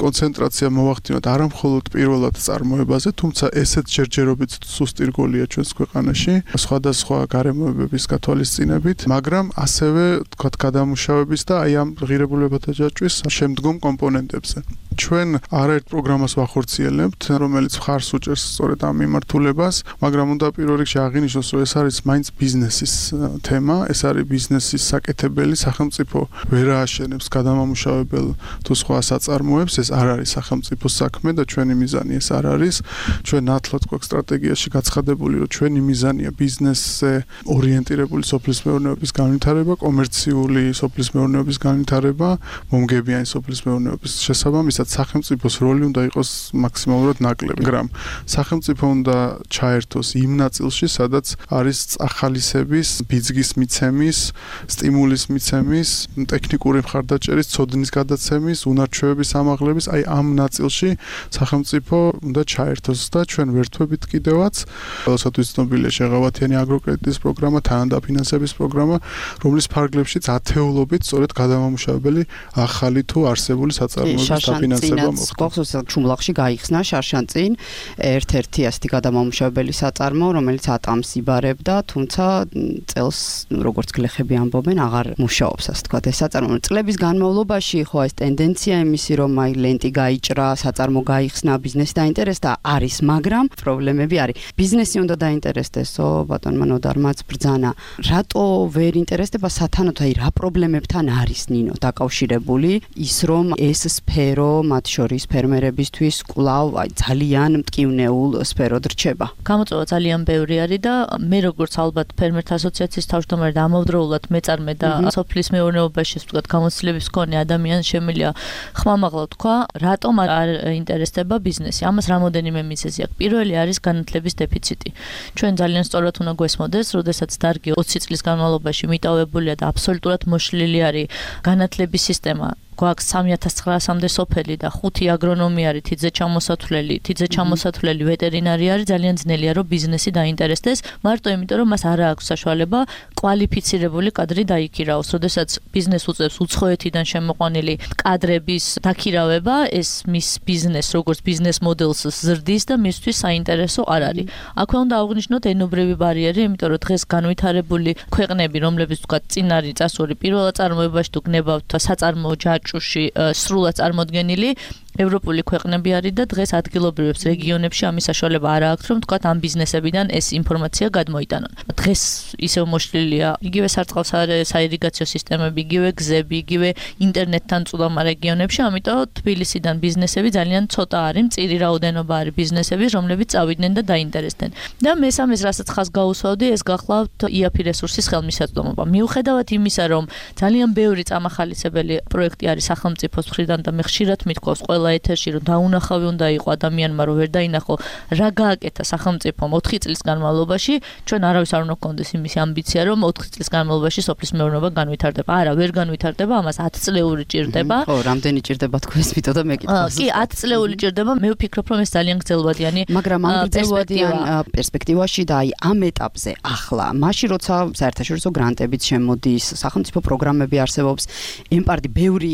კონცენტრაცია მოვახდინოთ არა მხოლოდ პირველად წარმოებაზე, თუმცა ესეც ჯერჯერობით სუსტი რგოლია ჩვენს ქვეყანაში, სხვადასხვა გარემოებების გათვალისწინებით, მაგრამ ასევე თქვათ გადამუშავების და აი ამ ღირებულებათა ჯაჭვის შემდგომ კომპონენტებზე. ჩვენ არაერთ პროგრამას ვახორციელებთ, რომელიც მხარს უჭერს სწორედ ამ მიმართულებას, მაგრამ უნდა პირველ რიგში აღინიშნოს, რომ ეს არის მაინც ბიზნესის თემა, ეს არის ბიზნესის საკეთებელი, სახელმწიფო ვერ ააშენებს გადამამუშავებელ თუ სხვა საწარმოებს, ეს არ არის სახელმწიფოს საქმე და ჩვენი მიზანი ეს არ არის. ჩვენ ნათლად გვაქვს სტრატეგიაში გაცხადებული, რომ ჩვენი მიზანია ბიზნესზე ორიენტირებული სოფლის მეურნეობის განვითარება, კომერციული სოფლის მეურნეობის განვითარება, მომგებიანი სოფლის მეურნეობის შესაბამისად სახელმწიფოს როლი უნდა იყოს მაქსიმალურად ნაკლები, მაგრამ სახელმწიფო უნდა ჩაერთოს იმ ნაწილში, სადაც არის წახალისების, ბიძგის მიცემის, სტიმულის მიცემის, ტექნიკური მხარდაჭერის, ცოდნის გადაცემის, უნარჩვევების ამაღლების, აი ამ ნაწილში სახელმწიფო უნდა ჩაერთოს და ჩვენ ვერთვებით კიდევაც, როდესაც ცნობილია შეღავათიანი აგროკრედიტის პროგრამა, თანადაფინანსების პროგრამა, რომლის ფარგლებშიც ათეულობით სწორედ გადამამუშავებელი ახალი თუ არსებული საწარმოების დაფინანსება მოხდა. გახსოვს ჩუმლახში გაიხსნა შარშანწინ ერთ-ერთი ასეთი გადამამუშავებელი საწარმო, რომელიც ატამს იბარებდა, თუმცა წელს როგორც გლეხები ამბობენ, აღარ მუშაობს, ასე თქვა, ეს საწარმო. წლების განმავლობაში ხო ეს ტენდენცია იმისი, რომ აი ლენტი გაიჭრა, საწარმო გაიხსნა, ბიზნესი დაინტერესდა, არის, მაგრამ პრობლემები არის. ბიზნესი უნდა დაინტერესდესო, ბატონმა ნოდარმაც ბრძანა. რატო ვერ ინტერესდება სათანადო, აი რა პრობლემებთან არის ნინო დაკავშირებული ის, რომ ეს სფერო, მათ შორის ფერმერებისთვის კვლავ აი ძალიან მტკივნეულ სფეროდ რჩება. გამოწვევა ძალიან ბევრი არის და მე როგორც ალბათ ფერმერთა ასოციაციის თავმჯდომარე და ამავდროულად მეწარმე და სოფლის მეურნეობაში ვთქვათ გამოცდილების მქონე ადამიანს შემიძლია ხმამაღლა თქვა, რატომ არ ინტერესდება ბიზნესი. ამას რამოდენიმე მიზეზი აქვს. პირველი არის განათლების დეფიციტი. ჩვენ ძალიან სწორად უნდა გვესმოდეს, როდესაც დარგი ოცი წლის განმავლობაში მიტოვებულია და აბსოლუტურად მოშლილი არის განათლების სისტემა. გვაქვს სამი ათას ცხრაასამდე სოფელი და ხუთი აგრონომი არის, თითზე ჩამოსათვლელი, თითზე ჩამოსათვლელი ვეტერინარი არის, ძალიან ძნელია რომ ბიზნესი დაინტერესდეს, მარტო იმიტომ რომ მას არ აქვს საშუალება კვალიფიცირებული კადრი დაიქირაოს. როდესაც ბიზნეს უწევს უცხოეთიდან შემოყვანილი კადრების დაქირავება, ეს მის ბიზნეს როგორც ბიზნეს მოდელს ზრდის და მისთვის საინტერესო არ არის. აქვე უნდა აღვნიშნოთ ენობრივი ბარიერი, იმიტომ რომ დღეს განვითარებული ქვეყნები, რომლებიც თქვა წინ არის წასული პირველ წარმოებაში თუ გნებავთ საწარმოო ჯაჭვში სრულად წარმოდგენილი ევროპული ქვეყნები არის და დღეს ადგილობრივებს რეგიონებში ამის საშუალება არ აქვს, რომ თქვათ ამ ბიზნესებიდან ეს ინფორმაცია გადმოიტანონ. დღეს ისევ მოშლილია იგივე სარწყავ საირიგაციო სისტემები, იგივე გზები, იგივე ინტერნეტთან წვდომა რეგიონებში, ამიტომ თბილისიდან ბიზნესები ძალიან ცოტა არის, მწირი რაოდენობა არის ბიზნესების, რომლებიც წავიდნენ და დაინტერესდნენ. და მესამეს, რასაც ხაზს გაუსვავდი, ეს გახლავთ ი აფ რესურსის ხელმისაწვდომობა. მიუხედავად იმისა, რომ ძალიან ბევრი წამახალისებელი პროექტი არის სახელმწიფოს მხრიდან და მე ხშირად მithქვავს ყველა ეთერში, რომ დაუნახავი უნდა იყოს ადამიანმა, რომ ვერ დაინახო რა გააკეთა სახელმწიფომ ოთხი წლის განმავლობაში, ჩვენ არავის არ უნდა გქონდეს იმის ამბიცია, რომ ოთხი წლის განმავლობაში სოფლის მეურნეობა განვითარდება. არა, ვერ განვითარდება, ამას ათი წლეული ჭირდება. ხო, რამდენი ჭირდება თქვენს მითო და მეკითხავს. კი, ათი წლეული ჭირდება, მე ვფიქრობ, რომ ეს ძალიან გრძელვადიანი, მაგრამ ამ გრძელვადიან პერსპექტივაში და აი ამ ეტაპზე ახლა, მაშინ როცა საერთაშორისო გრანტებიც შემოდის, სახელმწიფო პროგრამები არსებობს, ემპარდი ბევრი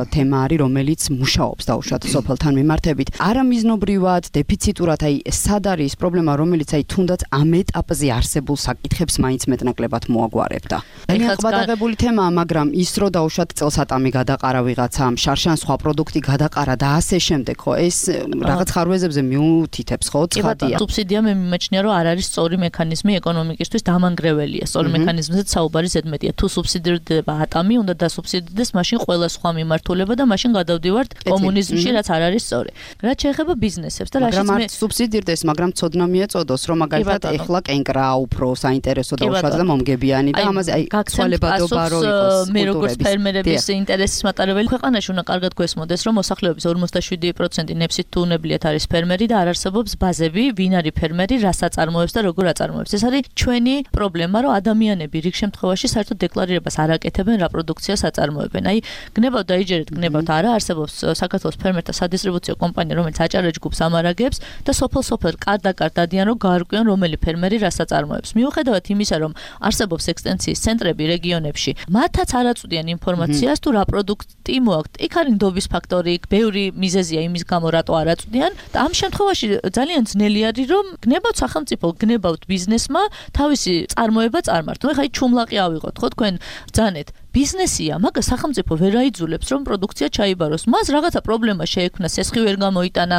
თემა არის, რომელიც მუშაობს დაუშვათ უბრალოდ სოფელთან მიმართებით. არამიზნობრივად, დეფიციტურად, აი სად არის პრობლემა, რომელიც აი თუნდაც ამ ეტაპზე არსებულ საკითხებს მაინც მეტნაკლებად მოაგვარებდა. ძალიან ყვადაღებული თემაა, მაგრამ ის რო დაუშვათ წელსატამი გადაყარა ვიღაცამ, შარშან სხვა პროდუქტი გადაყარა და ასე შემდეგ, ხო, ეს რაღაც ხარვეზებზე მიუთითებს, ხო, ცხადია. სუბსიდია მე მიმაჩნია, რომ არ არის სწორი მექანიზმი ეკონომიკისთვის დამანგრეველია. სწორი მექანიზმზე საუბარი ზედმეტია. თუ სუბსიდირდება ატამი, უნდა დასუბსიდირდეს მაშინ ყველა სხვა მიმართულება და მაშინ გადავდივართ კომუნიზმში, რაც არ არის სწორი. რაც შეეხება ბიზნესებს და რაშიც მე სუბსიდირდეს, მაგრამ ცოდნა მიეწოდოს, რომ მაგალითად ეხლა კენკრა უფრო საინტერესო და უშუალოდ და მომგებიანი და ამაზე აი ცვალებადობა რო იყოს. მე როგორც ფერმერების ინტერესის მატარებელი ქვეყანაში უნდა კარგად გვესმოდეს, რომ მოსახლეობის ორმოცდაშვიდი პროცენტი ნებსით თუ უნებლიეთ არის ფერმერი და არ არსებობს ბაზები, ვინ არის ფერმერი, რას აწარმოებს და როგორ აწარმოებს. ეს არის ჩვენი პრობლემა, რომ ადამიანები რიგ შემთხვევაში საერთოდ დეკლარირებას არ აკეთებენ, რა პროდუქციას აწარმოებენ. აი, გნებავთ დაიჯერეთ, გნებავთ, არა არსებობს საქართველოს ფერმერთა სადისტრიბუციო კომპანია, რომელიც აჭარა ჯგუფს ამარაგებს და სოფელ-სოფელ კარდ-კარდ დადიან, რომ გაარკვიონ, რომელი ფერმერი რას აწარმოებს. მიუხედავად იმისა, რომ არსებობს ექსტენსიის ცენტრები რეგიონებში, მათაც არ აწვდიან ინფორმაციას, თუ რა პროდუქტი მოაქვთ. იქ არის ნდობის ფაქტორი, იქ ბევრი მიზეზია იმის გამო, რატო არ აწვდიან და ამ შემთხვევაში ძალიან ძნელი არის, რომ გნებავთ სახელმწიფო, გნებავთ ბიზნესმა თავისი წარმოება წარმართო. ეხლა ჩუმლაყი ავიღოთ, ხო თქვენ ბრძანეთ. ბიზნესია, მაგას სახელმწიფო ვერ აიძულებს, რომ პროდუქცია ჩაიბაროს. მას რაღაცა პრობლემა შეექმნა, სესხი ვერ გამოიტანა,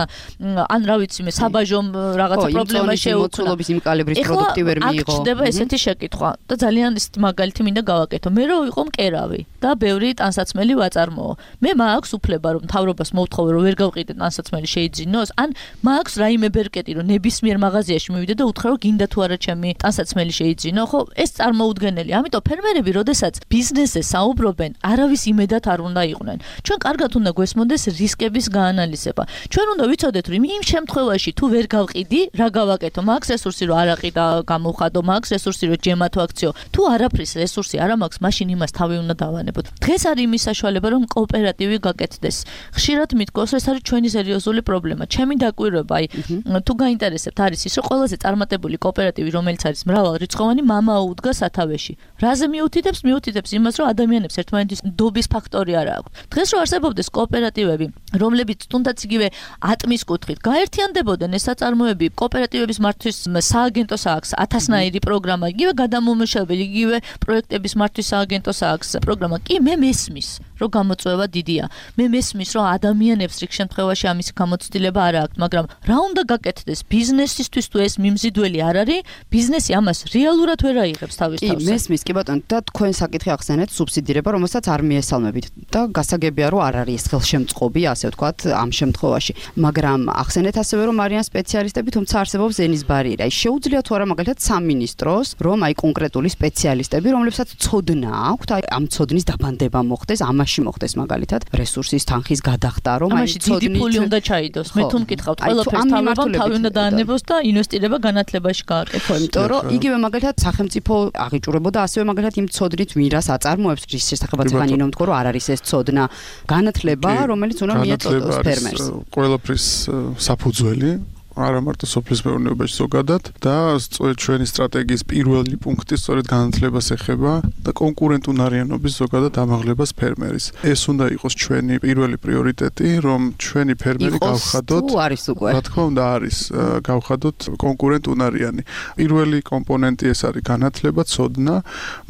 ან რა ვიცი მე, საბაჟომ რაღაცა პრობლემა შეუქმნა. იმ კალიბრის პროდუქტი ვერ მიიღო. აქ ჩდება ესეთი შეკითხვა და ძალიან ის მაგალითი მინდა გავაკეთო. მე რო ვიყო მკერავი და ბევრი ტანსაცმელი ვაწარმოო. მე მაქვს უფლება, რომ მთავრობას მოვთხოვე, რომ ვერ გავყიდე ტანსაცმელი შეიძინოს, ან მაქვს რაიმე ბერკეტი, რომ ნებისმიერ მაღაზიაში მივიდე და უთხრა, რომ გინდა თუ არა ჩემი ტანსაცმელი შეიძინო, ხო? ეს წარმოუდგენელია. ამიტომ ფერმერები, როდესაც ბიზნესზე საუბრობენ, არავის იმედად არ უნდა იყვნენ. ჩვენ კარგად უნდა გვესმოდეს რისკების გაანალიზება. ჩვენ უნდა ვიცოდეთ, რომ იმ შემთხვევაში თუ ვერ გავყიდი, რა გავაკეთო? მაქვს რესურსი, რომ არ აყიდა გამოვხადო, მაქვს რესურსი, რომ ჯემათო აქციო. თუ არაფრის რესურსი არ მაქვს, მაშინ იმას თავი უნდა დავანებოთ. დღეს არის იმის საშუალება, რომ კოოპერატივი გაკეთდეს. ხშირად მიდგოს, ეს არის ჩვენი სერიოზული პრობლემა. ჩემი დაკვირვება, აი, თუ გაინტერესებთ, არის ის, რომ ყველაზე წარმატებული კოოპერატივი, რომელიც არის მრავალრიცხოვანი, მამაო უდგა სათავეში. რაზე მიუთითებს? მიუთითებს იმას, რომ ადამიანებს ერთმანეთის ნდობის ფაქტორი არ აქვს. დღეს რო არსებობდეს კოოპერატივები, რომლებიც თუნდაც იგივე ატმის კუთხით გაერთიანდებოდნენ ეს საწარმოები, კოოპერატივების მართვის სააგენტოს აქვს ათასნაირი პროგრამა, იგივე გადამომუშავებელი, იგივე პროექტების მართვის სააგენტოს აქვს პროგრამა. კი, მე მესმის, რომ გამოწვევა დიდია. მე მესმის, რომ ადამიანებს რიგ შემთხვევაში ამის გამოცდილება არ აქვს, მაგრამ რა უნდა გაკეთდეს ბიზნესისთვის, თუ ეს მიმზიდველი არ არის, ბიზნესი ამას რეალურად ვერ აიღებს თავის თავზე. კი, მესმის, კი ბატონო, და თქვენ საკითხი ახსენეთ სუბსიდირება, რომელსაც არ მიესალმებით და გასაგებია, რომ არ არის ეს ხელშემწყობი, ასე ვთქვათ, ამ შემთხვევაში. მაგრამ ახსენეთ ასევე, რომ არიან სპეციალისტები, თუმცა არსებობს ენის ბარიერი. აი, შეუძლია თუ არა მაგალითად სამინისტროს, რომ აი კონკრეტული სპეციალისტები, რომლებსაც ცოდნა აქვთ, აი ამ ცოდნის დაბანდება მოხდეს, ამაში მოხდეს მაგალითად რესურსის თანხის გადახდა, რომ აი ცოდნით დიდი ფული უნდა ჩაიდოს. მე თუ მკითხავთ, ყველაფერს თავებამ თავი უნდა დაანებოს და ინვესტირება განათლებაში გააკეთოს. იმიტომ რომ იგივე მაგალითად სახელმწიფო აღიჭურებოდა ასევე მაგალითად იმ ცოდნით ვირას აწარმოებს რის შესახებაც ხან ინომ თქო, რომ არ არის ეს ცოდნა განათლება, რომელიც უნდა მიეწოდოს ფერმერს. ყველაფრის საფუძველი არა მარტო სოფლის მეურნეობაში ზოგადად და ჩვენი სტრატეგიის პირველი პუნქტი სწორედ განათლებას ეხება და კონკურენტუნარიანობის ზოგადად ამაღლებას ფერმერის. ეს უნდა იყოს ჩვენი პირველი პრიორიტეტი, რომ ჩვენი ფერმერი გავხადოთ. თუ არის უკვე. რა თქმა უნდა არის გავხადოთ კონკურენტუნარიანი. პირველი კომპონენტი ეს არის განათლება, ცოდნა,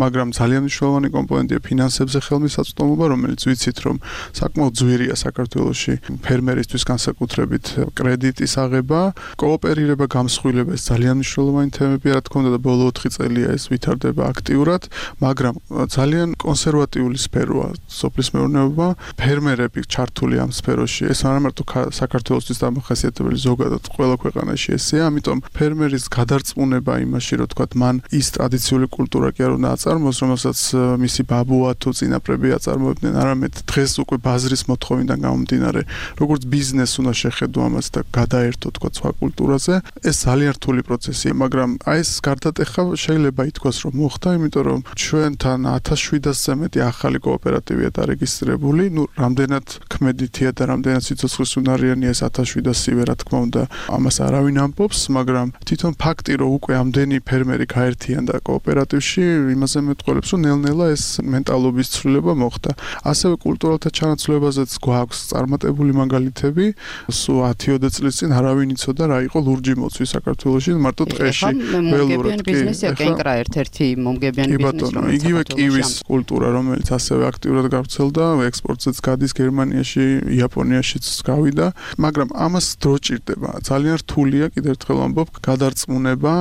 მაგრამ ძალიან მნიშვნელოვანი კომპონენტია ფინანსებზე ხელმისაწვდომობა, რომელიც ვიცით, რომ საკმაოდ ძვირია საქართველოში ფერმერისთვის განსაკუთრებით კრედიტის აღება. კოოპერირება, გამსხვილება ეს ძალიან მნიშვნელოვანი თემებია, რა თქმა უნდა და ბოლო ოთხი წელია ეს ვითარდება აქტიურად, მაგრამ ძალიან კონსერვატიული სფეროა სოფლის მეურნეობა, ფერმერები ჩართული ამ სფეროში. ეს არა მარტო საქართველოსთვის დამახასიათებელი, ზოგადად ყველა ქვეყანაში ესეა, ამიტომ ფერმერის გადარწმუნება იმაში, რომ თქვა მან ის ტრადიციული კულტურა კი არ უნდა აწარმოოს, რომელსაც მისი ბაბუა თუ წინაპრები აწარმოებდნენ, არამედ დღეს უკვე ბაზრის მოთხოვნიდან გამომდინარე, როგორც ბიზნეს უნდა შეხედო ამას და გადაერთო თქვა სხვა კულტურაზე. ეს ძალიან რთული პროცესია, მაგრამ აი ეს გარდატეხა შეიძლება ითქვას, რომ მოხდა, იმიტომ რომ ჩვენთან ათას შვიდასზე მეტი ახალი კოოპერატივია დარეგისტრირებული. ნუ რამდენად ქმედითია და რამდენად სიცოცხლის უნარიანია ეს ათას შვიდასივე, რა თქმა უნდა, ამას არავინ ამბობს, მაგრამ თვითონ ფაქტი, რომ უკვე ამდენი ფერმერი გაერთიანდა კოოპერატივში, იმაზე მეტყველებს, რომ ნელ-ნელა ეს მენტალობის ცვლილება მოხდა. ასევე კულტურალთა ჩანაცვლებაზეც გვაქვს წარმატებული მაგალითები. სულ ათი-ოცდაათი წლის წინ არავინ იცოდა რა იყო ლურჯი მოცვი საქართველოში, მარტო ტყეში ველურად. ბიზნესია კენკრა ერთ-ერთი მომგებიანი ბიზნესი, რომელიც იგივე კივის კულტურა, რომელიც ასევე აქტიურად გავრცელდა, ექსპორტზეც გადის გერმანიაში, იაპონიაშიც გავიდა, მაგრამ ამას დრო ჭირდება. ძალიან რთულია, კიდევ ერთხელ ამბობ, გადარწმუნება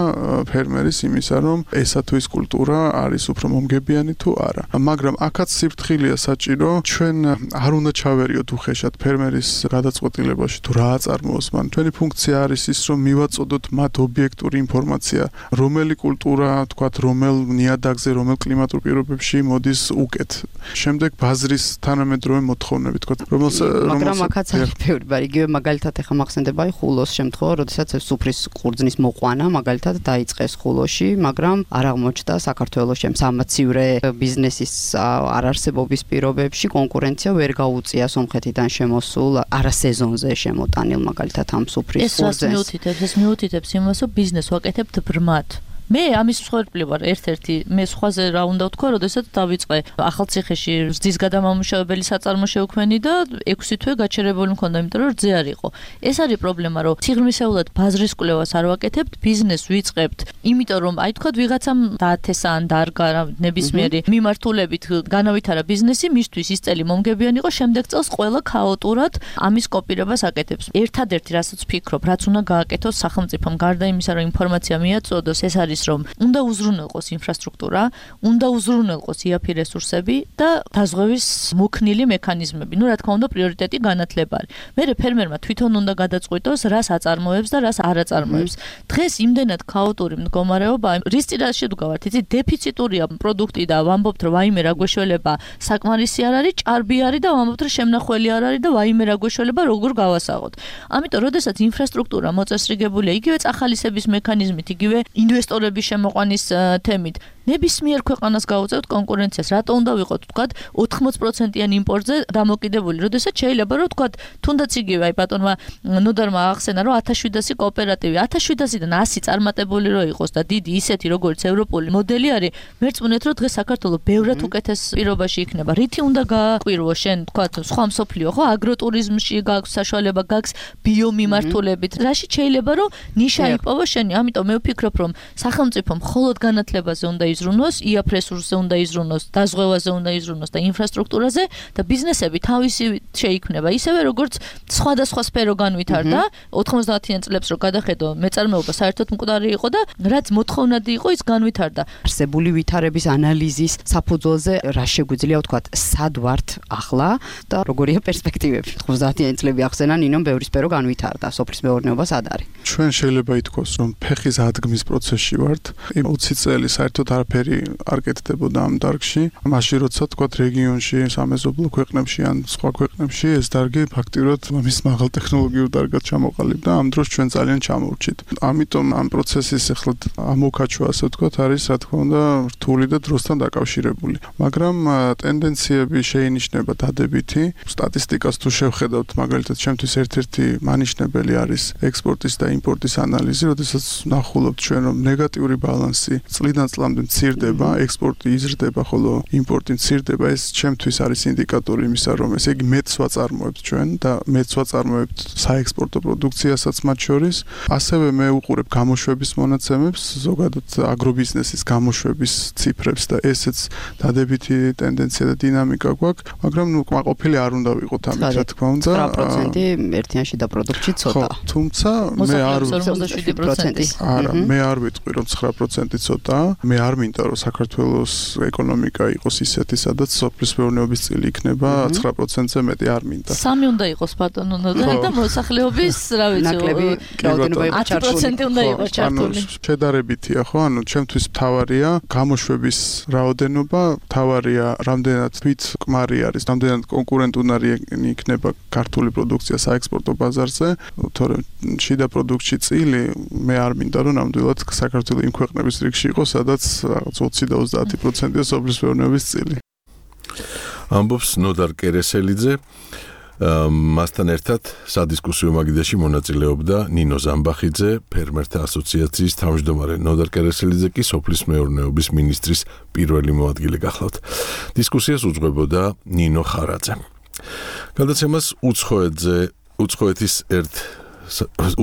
ფერმერის იმისა, რომ ესა თუ ის კულტურა არის უფრო მომგებიანი თუ არა. მაგრამ აქაც სიფრთხილეა საჭირო, ჩვენ არ უნდა ჩავერიოთ უხეშად ფერმერის გადაწყვეტილებაში თუ რა აწარმოოს მან. ჩვენი ფუნქცია არის ის, რომ მივაწოდოთ მათ ობიექტური ინფორმაცია, რომელი კულტურა, თქვათ, რომელ ნიადაგზე, რომელ კლიმატურ პირობებში მოდის უკეთ. შემდეგ ბაზრის თანამედროვე მოთხოვნები, თქვათ, რომელს მაგრამ აქაც არის ბევრი, ბარი, იგივე მაგალითად ახლა მახსენდება აი ხულოს შემთხვევა, როდესაც სუფრის ყურძნის მოყვანა მაგალითად დაიწყეს ხულოში, მაგრამ არ აღმოჩნდა საქართველოს შემსამაცივრე ბიზნესის არარსებობის პირობებში კონკურენცია ვერ გაუწია სომხეთიდან შემოსულ არასეზონზე შემოტანილ მაგალითად ამ სუფრის ყურძენს. ეს რას მიუთითებს? ეს მიუთითებს იმას, რომ ბიზნესს ვაკეთებთ ბრმად. მე ამის მსხვერპლი ვარ ერთ-ერთი მე სხვაზე რა უნდა ვთქვა, როდესაც დავიწყე ახალციხეში რძის გადამამუშავებელი საწარმო შევქმენი და ექვსი თვე გაჩერებული მქონდა, იმიტომ რომ რძე არ იყო. ეს არის პრობლემა, რომ სიღრმისეულად ბაზრის კვლევას არ ვაკეთებთ, ბიზნესს ვიწყებთ, იმიტომ რომ აი თქვა ვიღაცამ დაათესა ან დარგა ნებისმიერი მიმართულებით განავითარა ბიზნესი, მისთვის ის წელი მომგებიანი იყო, შემდეგ წელს ყველა ქაოტურად ამის კოპირებას აკეთებს. ერთადერთი რასაც ვფიქრობ, რაც უნდა გააკეთოს სახელმწიფომ, გარდა იმისა, რომ ინფორმაცია მიაწოდოს, ეს არის რომ უნდა უზრუნველყოს ინფრასტრუქტურა, უნდა უზრუნველყოს იაფი რესურსები და დაზღვევის მოქნილი მექანიზმები. ნუ რა თქმა უნდა, პრიორიტეტი განათლება არის. მერე ფერმერმა თვითონ უნდა გადაწყვიტოს, რას აწარმოებს და რას არ აწარმოებს. დღეს იმდენად ქაოტური მდგომარეობა, რის წინაშე შედგავართ, იცი, დეფიციტურია პროდუქტი და ვამბობთ, რომ ვაიმე რა გვეშველება, საკმარისი არ არის, ჭარბი არის და ვამბობთ, რომ შემნახველი არ არის და ვაიმე რა გვეშველება, როგორ გავასაღოთ. ამიტომ, როდესაც ინფრასტრუქტურა მოწესრიგებულია, იგივე წახალისების მექანიზმით, იგივე ინვესტორ შემოყვანის თემით ნებისმიერ ქვეყანას გაუწევთ კონკურენციას. რატო უნდა ვიყოთ, თქვათ, ოთხმოცი პროცენტიან იმპორტზე დამოკიდებული, როდესაც შეიძლება რომ თქვათ, თუნდაც იგივე აი ბატონმა ნოდარმა ახსენა, რომ ათას შვიდასი კოოპერატივი, ათას შვიდასიდან ასი წარმატებული რო იყოს და დიდი ისეთი როგორც ევროპული მოდელი არის, მერწმუნეთ რომ დღეს საქართველოს ბევრად უკეთეს პირობაში იქნება. რითი უნდა გააკვირვო შენ, თქვათ, სხვა მსოფლიო, ხო, აგროტურიზმში გაქვს საშუალება, გაქვს ბიომიმართულებით. რაში შეიძლება რომ ნიშა იპოვო შენი, ამიტომ მე ვფიქრობ, რომ სახელმწიფო მხოლოდ განათლებაზე უნდა იზრუნოს, იაფ რესურსზე უნდა იზრუნოს, დაზღვევაზე უნდა იზრუნოს და ინფრასტრუქტურაზე და ბიზნესები თავისი შეიქმნება. ისევე როგორც სხვადასხვა სფერო განვითარდა, ოთხმოცდაათიან წლებს რო გადახედო, მეწარმეობა საერთოდ მკვდარი იყო და რაც მოთხოვნადი იყო, ის განვითარდა. არსებული ვითარების ანალიზის საფუძველზე რა შეგვიძლია ვთქვათ, სად ვართ ახლა და როგორია პერსპექტივები? ოთხმოცდაათიან წლები ახსენა ნინომ ბევრი სფერო განვითარდა, სოფლის მეურნეობა სად არის? ჩვენ შეიძლება ითქვას, რომ ფეხის ადგმის პროცესში ვართ. ოცი წელი საერთოდ არაფერი არ კეთდებოდა ამ დარგში. მაშინ როცა თქვათ რეგიონში, სამეზობლო ქვეყნებში ან სხვა ქვეყნებში ეს დარგი ფაქტიურად მის მაღალ ტექნოლოგიურ დარგად ჩამოყალიბდა, ამ დროს ჩვენ ძალიან ჩამოვრჩით. ამიტომ ამ პროცესის ახლა ამოქაჩვა, ასე ვთქვათ, არის რა თქმა უნდა რთული და დროსთან დაკავშირებული. მაგრამ ტენდენციები შეინიშნება დადებითი. სტატისტიკას თუ შევხედავთ, მაგალითად, ჩემთვის ერთ-ერთი მანიშნებელი არის ექსპორტის და იმპორტის ანალიზი, როდესაც ნახულობთ ჩვენ რომ ნეგატიური ბალანსი წლიდან წლამდე მცირდება, ექსპორტი იზრდება, ხოლო იმპორტი მცირდება. ეს ჩემთვის არის ინდიკატორი იმისა, რომ ესე იგი მეტს ვაწარმოებთ ჩვენ და მეტს ვაწარმოებთ საექსპორტო პროდუქციასაც მათ შორის. ასევე მე ვუყურებ გამოშვების მონაცემებს, ზოგადად აგრობიზნესის გამოშვების ციფრებს და ესეც დადებითი ტენდენცია და დინამიკა გვაქვს, მაგრამ ნუ კმაყოფილი არ უნდა ვიყოთ ამით, რა თქმა უნდა. ცხრა პროცენტი ერთიანში და პროდუქტში ცოტა. თუმცა მე არ ოცდაშვიდი პროცენტი არა, მე არ ვიტყვი რომ ცხრა პროცენტი ცოტაა. მე არ მინდა რომ საქართველოს ეკონომიკა იყოს ისეთი, სადაც სოფლის მეურნეობის წილი იქნება ცხრა პროცენტზე მეტი არ მინდა. სამი უნდა იყოს ბატონო ნოდარ და მოსახლეობის, რა ვიცი, ნაკლები რაოდენობა იყოს ათი პროცენტი უნდა იყოს ჩართული. შედარებითია ხო? ანუ ჩემთვის მთავარია გამოშვების რაოდენობა, მთავარია რამდენად თვით კმარი არის, რამდენად კონკურენტუნარი იქნება ქართული პროდუქცია საექსპორტო ბაზარზე, თორემ შიდა პროდუქტში წილი მე არ მინდა რომ ნამდვილად საქართველოს იმ ქვეყნების რიგში იყოს, სადაც რაღაც ოცი და ოცდაათი პროცენტია სოფლის მეურნეობის წილი. ამბობს ნოდარ კერესელიძე. მასთან ერთად სადისკუსიო მაგიდაში მონაწილეობდა ნინო ზამბახიძე, ფერმერთა ასოციაციის თავმჯდომარე. ნოდარ კერესელიძე კი სოფლის მეურნეობის მინისტრის პირველი მოადგილე გახლავთ. დისკუსიას უძღვებოდა ნინო ხარაძე. გადაცემას უცხოეთზე, უცხოეთის ერთ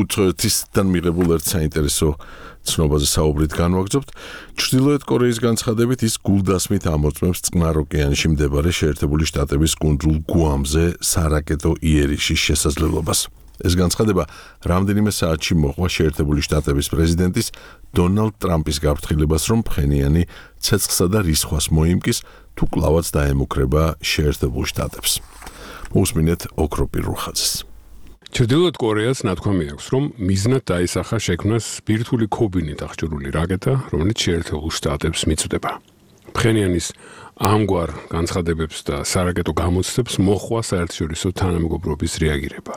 უცხოეთისგან მიღებულ ერთ საინტერესო ცნობაზე საუბრით განვაგრძობთ. ჩრდილოეთ კორეის განცხადებით ის გულდასმით ამოწმებს წყნარ ოკეანეში მდებარე შეერთებული შტატების კუნძულ გუამზე სარაკეტო იერიშის შესაძლებლობას. ეს განცხადება რამდენიმე საათში მოჰყვა შეერთებული შტატების პრეზიდენტის დონალდ ტრამპის გაფრთხილებას, რომ ფხენიანი ცეცხლსა და რისხვას მოიმკის, თუ კვლავაც დაემუქრება შეერთებულ შტატებს. მოусმინეთ ოქროპირ რუხაძეს. ჩრდილოეთ კორეას ნათქვამი აქვს, რომ მიზნად დაისახა შექმნას ბირთვული ქობინით აღჭურვილი რაკეტა, რომელიც შეერთებულ შტატებს მიწვდება. ფხენიანის ამგვარ განცხადებებს და სარაკეტო გამოცდებს მოჰყვა საერთაშორისო თანამეგობრობის რეაგირება.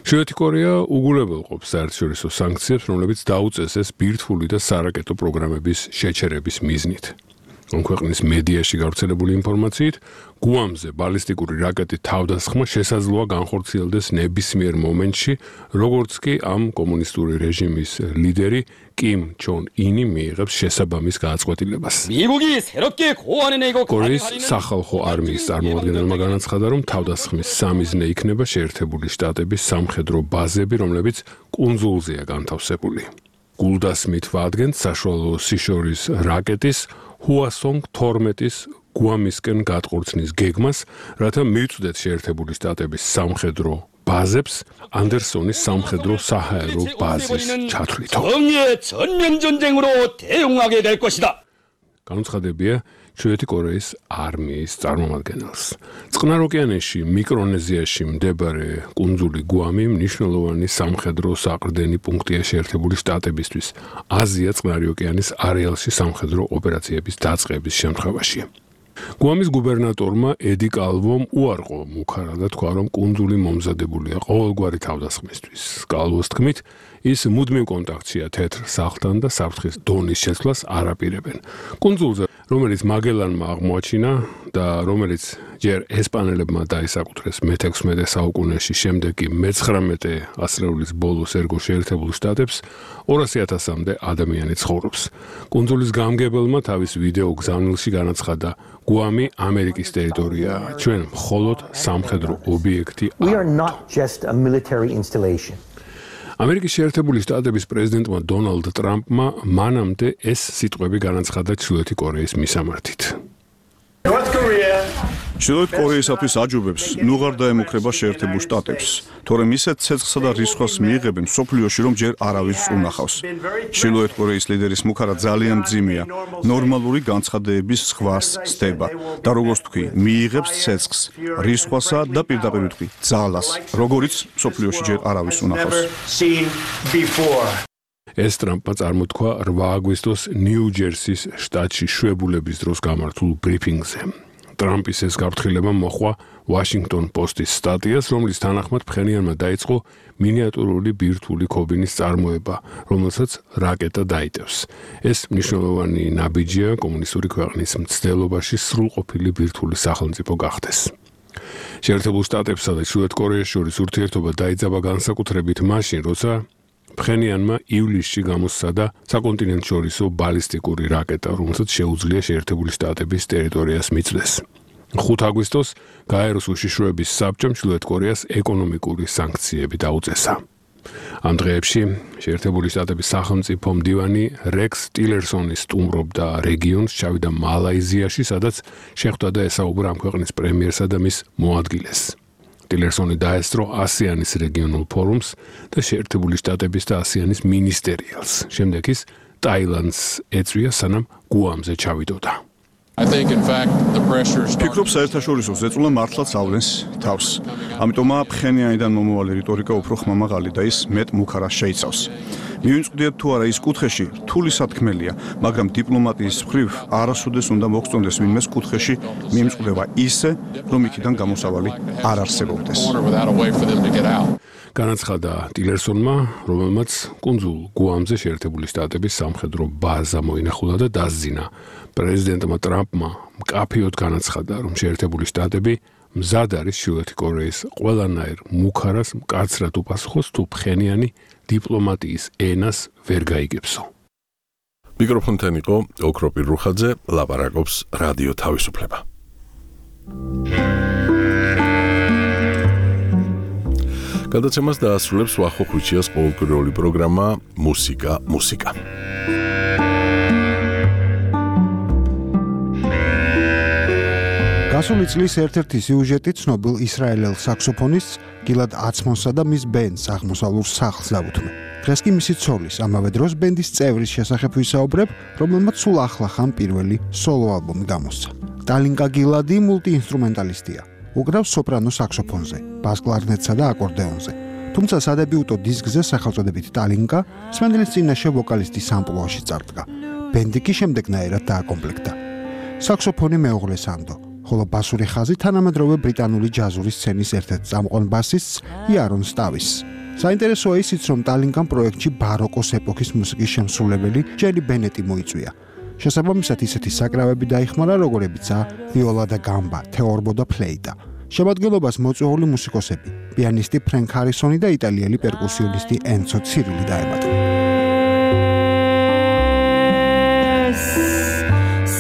ჩრდილოეთი კორეა უგულებელყოფს საერთაშორისო სანქციებს, რომლებიც დაუწესეს ბირთვული და სარაკეტო პროგრამების შეჩერების მიზნით. ქვეყნის მედიაში გავრცელებული ინფორმაციით, გუამზე ბალისტიკური რაკეტით თავდასხმა შესაძლოა განხორციელდეს ნებისმიერ მომენტში, როგორც კი ამ კომუნისტური რეჟიმის ლიდერი კიმ ჩონ ინი მიიღებს შესაბამის გააწყვეტილებას. კორეის სახალხო არმიის წარმომადგენელმა განაცხადა, რომ თავდასხმის სამიზნე იქნება შეერთებული შტატების სამხედრო ბაზები, რომლებიც კუნძულზეა განთავსებული. გულდასმით ვადგენთ საშუალო სიშორის რაკეტის ჰუასონგ თორმეტის გუამისკენ გატყორცნის გეგმას, რათა მივწვდეთ შეერთებული შტატების სამხედრო ბაზებს ანდერსონის სამხედრო საჰაერო ბაზის ჩათვლით. განუცხადებია ჩრდილოეთი კორეის არმიის წარმომადგენელს. წყნარ ოკეანეში მიკრონეზიაში მდებარე კუნძული გუამი მნიშვნელოვანი სამხედრო საყრდენი პუნქტია შეერთებული შტატებისთვის აზია წყნარი ოკეანის არეალში სამხედრო ოპერაციების დაწყების შემთხვევაში. გუამის გუბერნატორმა ედი კალვომ უარყო მუქარა და თქვა, რომ კუნძული მომზადებულია ყოველგვარი თავდასხმისთვის. კალვოს თქმით, ის მუდმივ კონტაქტშია თეთრ სახლთან და საფრთხის დონის შეცვლას არ აპირებენ. კუნძულზე, რომელიც მაგელანმა აღმოაჩინა და რომელიც ჯერ ესპანელებმა დაისაკუთრეს მეთექვსმეტე საუკუნეში, შემდეგ კი მეცხრამეტე ასწლეულის ბოლოს ერგო შეერთებულ შტატებს, ორასი ათასამდე ადამიანი ცხოვრობს. კუნძულის გამგებელმა თავის ვიდეო გზავნილში განაცხადა, გუამი ამერიკის ტერიტორიაა, ჩვენ მხოლოდ სამხედრო ობიექტი ვართ. ამერიკის შეერთებული შტატების პრეზიდენტმა დონალდ ტრამპმა მანამდე ეს სიტყვები განაცხადა ჩრდილოეთი კორეის მისამართით. ჩრდილოეთ კორეისათვის აჯობებს ნუღარ დაემუქრება შეერთებულ შტატებს, თორემ ისეთ ცეცხლსა და რისხვას მიიღებენ სოფლიოში, რომ ჯერ არავის უნახავს. ჩრდილოეთ კორეის ლიდერის მუქარა ძალიან მძიმეა, ნორმალური განცხადებების სხვას სდება და როგორც თქვი, მიიღებს ცეცხლს, რისხვასა და პირდაპირ ვთქვი, ძალას, როგორიც სოფლიოში ჯერ არავის უნახავს. ეს ტრამპმა წარმოთქვა რვა აგვისტოს ნიუ-ჯერსის შტატში შვებულების დროს გამართულ ბრიფინგზე. ტრამპის ეს გაფრთხილება მოჰყვა Washington Post-ის სტატიას, რომლის თანახმად ფხენიანმა დაიწყო მინიატურული ბირთვული ქობინის წარმოება, რომელსაც რაკეტა დაიტევს. ეს მნიშვნელოვანი ნაბიჯია კომუნისტური ქვეყნის მცდელობაში სრულყოფილი ბირთვული სახელმწიფო გახდეს. შეერთებულ შტატებსა და ჩრდილოეთ კორეას შორის ურთიერთობა დაიძაბა განსაკუთრებით მაშინ, როცა ფხენიანმა ივლისში გამოსცადა საკონტინენტშორისო ბალისტიკური რაკეტა, რომელსაც შეუძლია შეერთებული შტატების ტერიტორიას მიწვდეს. ხუთ აგვისტოს გაეროს უშიშროების საბჭომ ჩრდილოეთ კორეას ეკონომიკური სანქციები დაუწესა. ამ დღეებში შეერთებული შტატების სახელმწიფო მდივანი რექს ტილერსონი სტუმრობდა რეგიონს, ჩავიდა მალაიზიაში, სადაც შეხვდა და ესაუბრა ამ ქვეყნის პრემიერსა და მის მოადგილეს. ტილერსონი დაესწრო ასიანის რეგიონულ ფორუმს და შეერთებული შტატების და ასიანის მინისტერიალს. შემდეგ ის ტაილანდს ეწვია, სანამ გუამზე ჩავიდოდა. I think in fact the pressures ფიქრობ საერთაშორისო ზეწოლა მართლაც ავლენს თავს. ამიტომაა ფხენიანიდან მომავალი რიტორიკა უფრო ხმამაღალი და ის მეტ მუქარას შეიცავს. მივიწყდეთ თუ არა ის კუთხეში რთული სათქმელია, მაგრამ დიპლომატიის მხრივ არასოდეს უნდა მოგწონდეს ვინმეს კუთხეში მიემწყდება ისე, რომ იქიდან გამოსავალი არ არსებობდეს. განაცხადა ტილერსონმა, რომელმაც კუნძულ გუამზე შეერთებული შტატების სამხედრო ბაზა მოინახულა და დასძინა. პრეზიდენტმა ტრამპმა მკაფიოდ განაცხადა, რომ შეერთებული შტატები მზად არის ჩრდილოეთი კორეის ყველანაირ მუქარას მკაცრად უპასუხოს, თუ ფხენიანი დიპლომატიის ენას ვერ გაიგებსო. მიკროფონთან იყო ოქროპი რუხაძე, ლაპარაკობს რადიო თავისუფლება. გადაცემას დაასრულებს ვახო ხუჩიას ყოველკვირეული პროგრამა მუსიკა მუსიკა. გასული წლის ერთ-ერთი სიუჟეტი ცნობილ ისრაელელ საქსოფონისტს გილად აცმონსა და მის ბენდს აღმოსავლურ სახლს დაუთმე. დღეს კი მისი ცოლის, ამავე დროს ბენდის წევრის შესახებ ვისაუბრებ, რომელმაც სულ ახლახან პირველი სოლო ალბომი გამოსცა. ტალინკა გილადი მულტიინსტრუმენტალისტია. უკრავს სოპრანო საქსოფონზე, ბას კლარნეტსა და აკორდეონზე. თუმცა სადებიუტო დისკზე სახელწოდებით ტალინკა სმენდელის წინაშე ვოკალისტის ამპლუაში წარდგა. ბენდი კი შემდეგნაირად დააკომპლექტდა. საქსოფონი მეუღლე სანდო, ხოლო ბასური ხაზი თანამედროვე ბრიტანული ჯაზური სცენის ერთ-ერთ წამყვან ბასისტს იარონ სტავის. საინტერესოა ისიც, რომ ტალინკამ პროექტში ბაროკოს ეპოქის მუსიკის შემსრულებელი ჯერი ბენეტი მოიწვია. შესაბამისად ისეთი საკრავები დაიხმარა, როგორებიცაა ვიოლა და გამბა, თეორბო და ფლეიტა. შემადგენლობას მოწვეული მუსიკოსები, პიანისტი ფრენკ ჰარისონი და იტალიელი პერკუსიონისტი ენცო ცირილი დაემატა.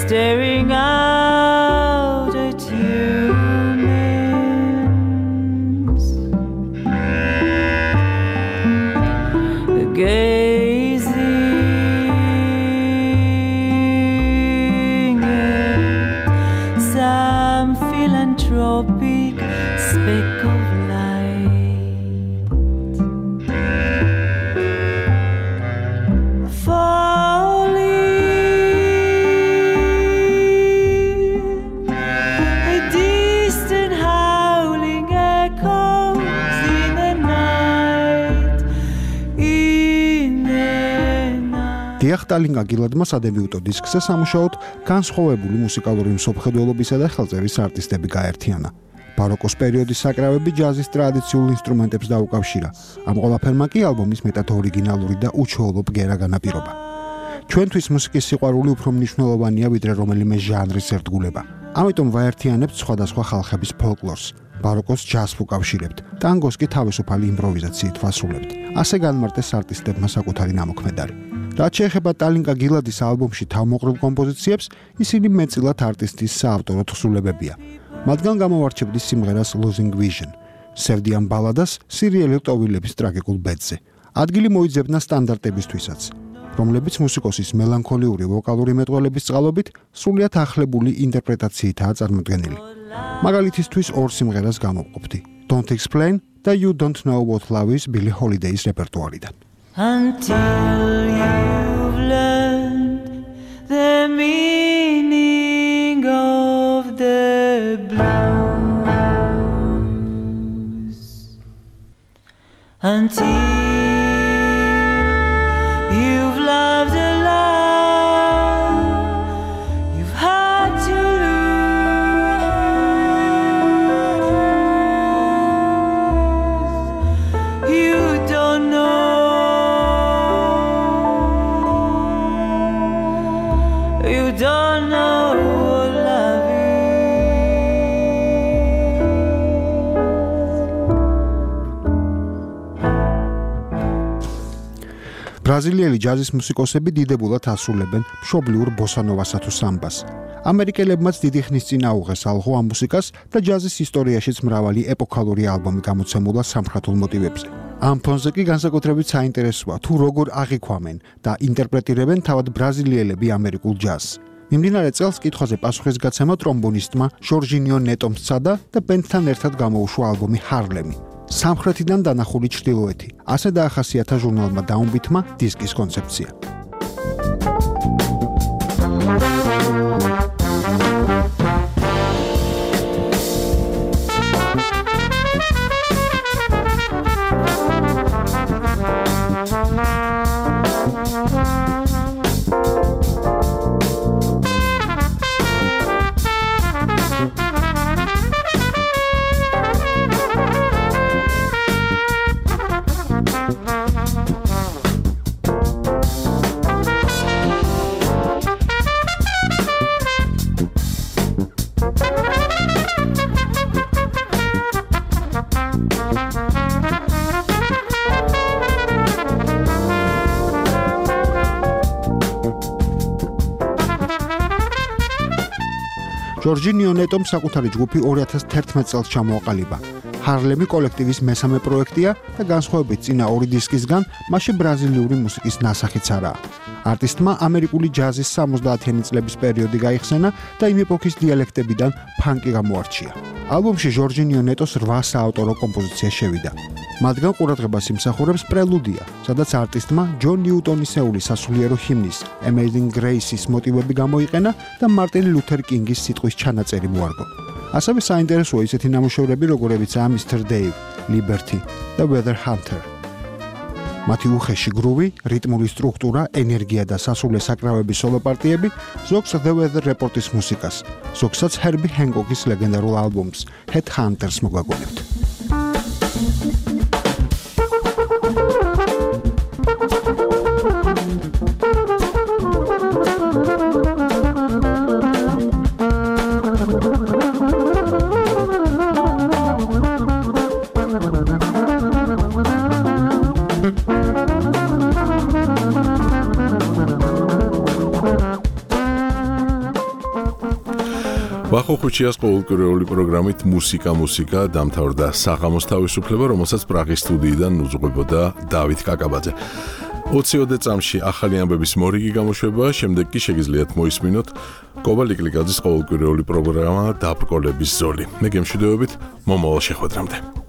Staring out at humans, gazing at some philanthropic speck of light, falling. დიახ, ტალინკა გილადმა სადებიუტო დისკზე სამუშაოდ განსხვავებული მუსიკალური მსოფლმხედველობისა და ხელწერის არტისტები გაერთიანა. ბაროკოს პერიოდის საკრავები ჯაზის ტრადიციულ ინსტრუმენტებს დაუკავშირა. ამ ყველაფერმა კი ალბომის მეტად ორიგინალური და უჩვეულო ბგერა განაპირობა. ჩვენთვის მუსიკის სიყვარული უფრო მნიშვნელოვანია, ვიდრე რომელიმე ჟანრის ერთგულება. ამიტომ ვაერთიანებთ სხვადასხვა ხალხების ფოლკლორს. ბაროკოს ჯაზს უკავშირებთ, ტანგოს კი თავისუფალი იმპროვიზაციით ვასრულებთ. ასე განმარტეს არტისტებმა საკუთარი ნამოქმედარი. რაც შეეხება ტალინკა გილადის ალბომში თავმოყრილ კომპოზიციებს, ისინი მეტწილად არტისტის საავტორო თხზულებებია. მათგან გამოვარჩევდი სიმღერას Losing Vision, სევდიან ბალადას სირიელი ტოვილების ტრაგიკულ ბედზე. ადგილი მოიძებნა სტანდარტებისთვისაც, რომლებიც მუსიკოსის მელანქოლიური ვოკალური მეტყველების წყალობით სრულიად ახლებული ინტერპრეტაციითაა წარმოდგენილი. მაგალითისთვის ორ სიმღერას გამოვყოფდი: Don't Explain და You Don't Know What Love Is Billie Holiday-ის რეპერტუარიდან. Until you've learned the meaning of the blues, until you've loved a love you've had to lose, you don't know. You don't know what love is. ბრაზილიელი ჯაზის მუსიკოსები დიდებულად ასრულებენ მშობლიურ ბოსანოვასა თუ სამბას. ამერიკელებმაც დიდი ხნის წინ აუღეს ალღო ამ მუსიკას და ჯაზის ისტორიაშიც მრავალი ეპოქალური ალბომი გამოცემულა სამხრეთულ მოტივებზე. ამ ფონზე კი განსაკუთრებით საინტერესოა თუ როგორ აღიქვამენ და ინტერპრეტირებენ თავად ბრაზილიელები ამერიკულ ჯაზს. მიმდინარე წელს კითხვაზე პასუხისგაცემა ტრომბონისტმა ჟორჟინიო ნეტომ სცადა და ბენდთან ერთად გამოუშვა ალბომი ჰარლემი. სამხრეთიდან დანახული ჩრდილოეთი. ასე დაახასიათა ჟურნალმა დაუნბითმა დისკის კონცეფცია. ჯორჯინიო ნეტომ საკუთარი ჯგუფი ორი ათას თერთმეტ წელს ჩამოაყალიბა. ჰარლემი კოლექტივის მესამე პროექტია და განსხვავებით წინა ორი დისკისგან, მასში ბრაზილიური მუსიკის ნასახიც არაა. არტისტმა ამერიკული ჯაზის სამოცდაათიანი წლების პერიოდი გაიხსენა და იმ ეპოქის დიალექტებიდან ფანკი გამოარჩია. ალბომში ჯორჯინიო ნეტოს რვა საავტორო კომპოზიცია შევიდა. მათგან ყურადღებას იმსახურებს პრელუდია, სადაც არტისტმა ჯონ ნიუტონისეული სასულიერო ჰიმნის Amazing Grace-ის მოტივები გამოიყენა და მარტინ ლუთერ კინგის სიტყვის ჩანაწერი მოარგო. ასევე საინტერესოა ისეთი ნამუშევრები, როგორებიცაა Mister Dave, Liberty და Weather Hunter. მათი უხეში გრუვი, რიტმული სტრუქტურა, ენერგია და სასულე საკრავების სოლო პარტიები ზოგს The Weather Report-ის მუსიკას, ზოგსაც Herbie Hancock-ის ლეგენდარულ ალბომს Headhunters მოგვაგონებთ. ვახო ხუჩიას ყოველკვირეული პროგრამით მუსიკა მუსიკა დამთავრდა საღამოს თავისუფლება, რომელსაც პრაღის სტუდიიდან უძღვებოდა დავით კაკაბაძე. ოციოდე წამში ახალი ამბების მორიგი გამოშვება, შემდეგ კი შეგიძლიათ მოისმინოთ კობა ლიკლიკაძის ყოველკვირეული პროგრამა დაბრკოლების ზოლი. მე გემშვიდობებით მომავალ შეხვედრამდე.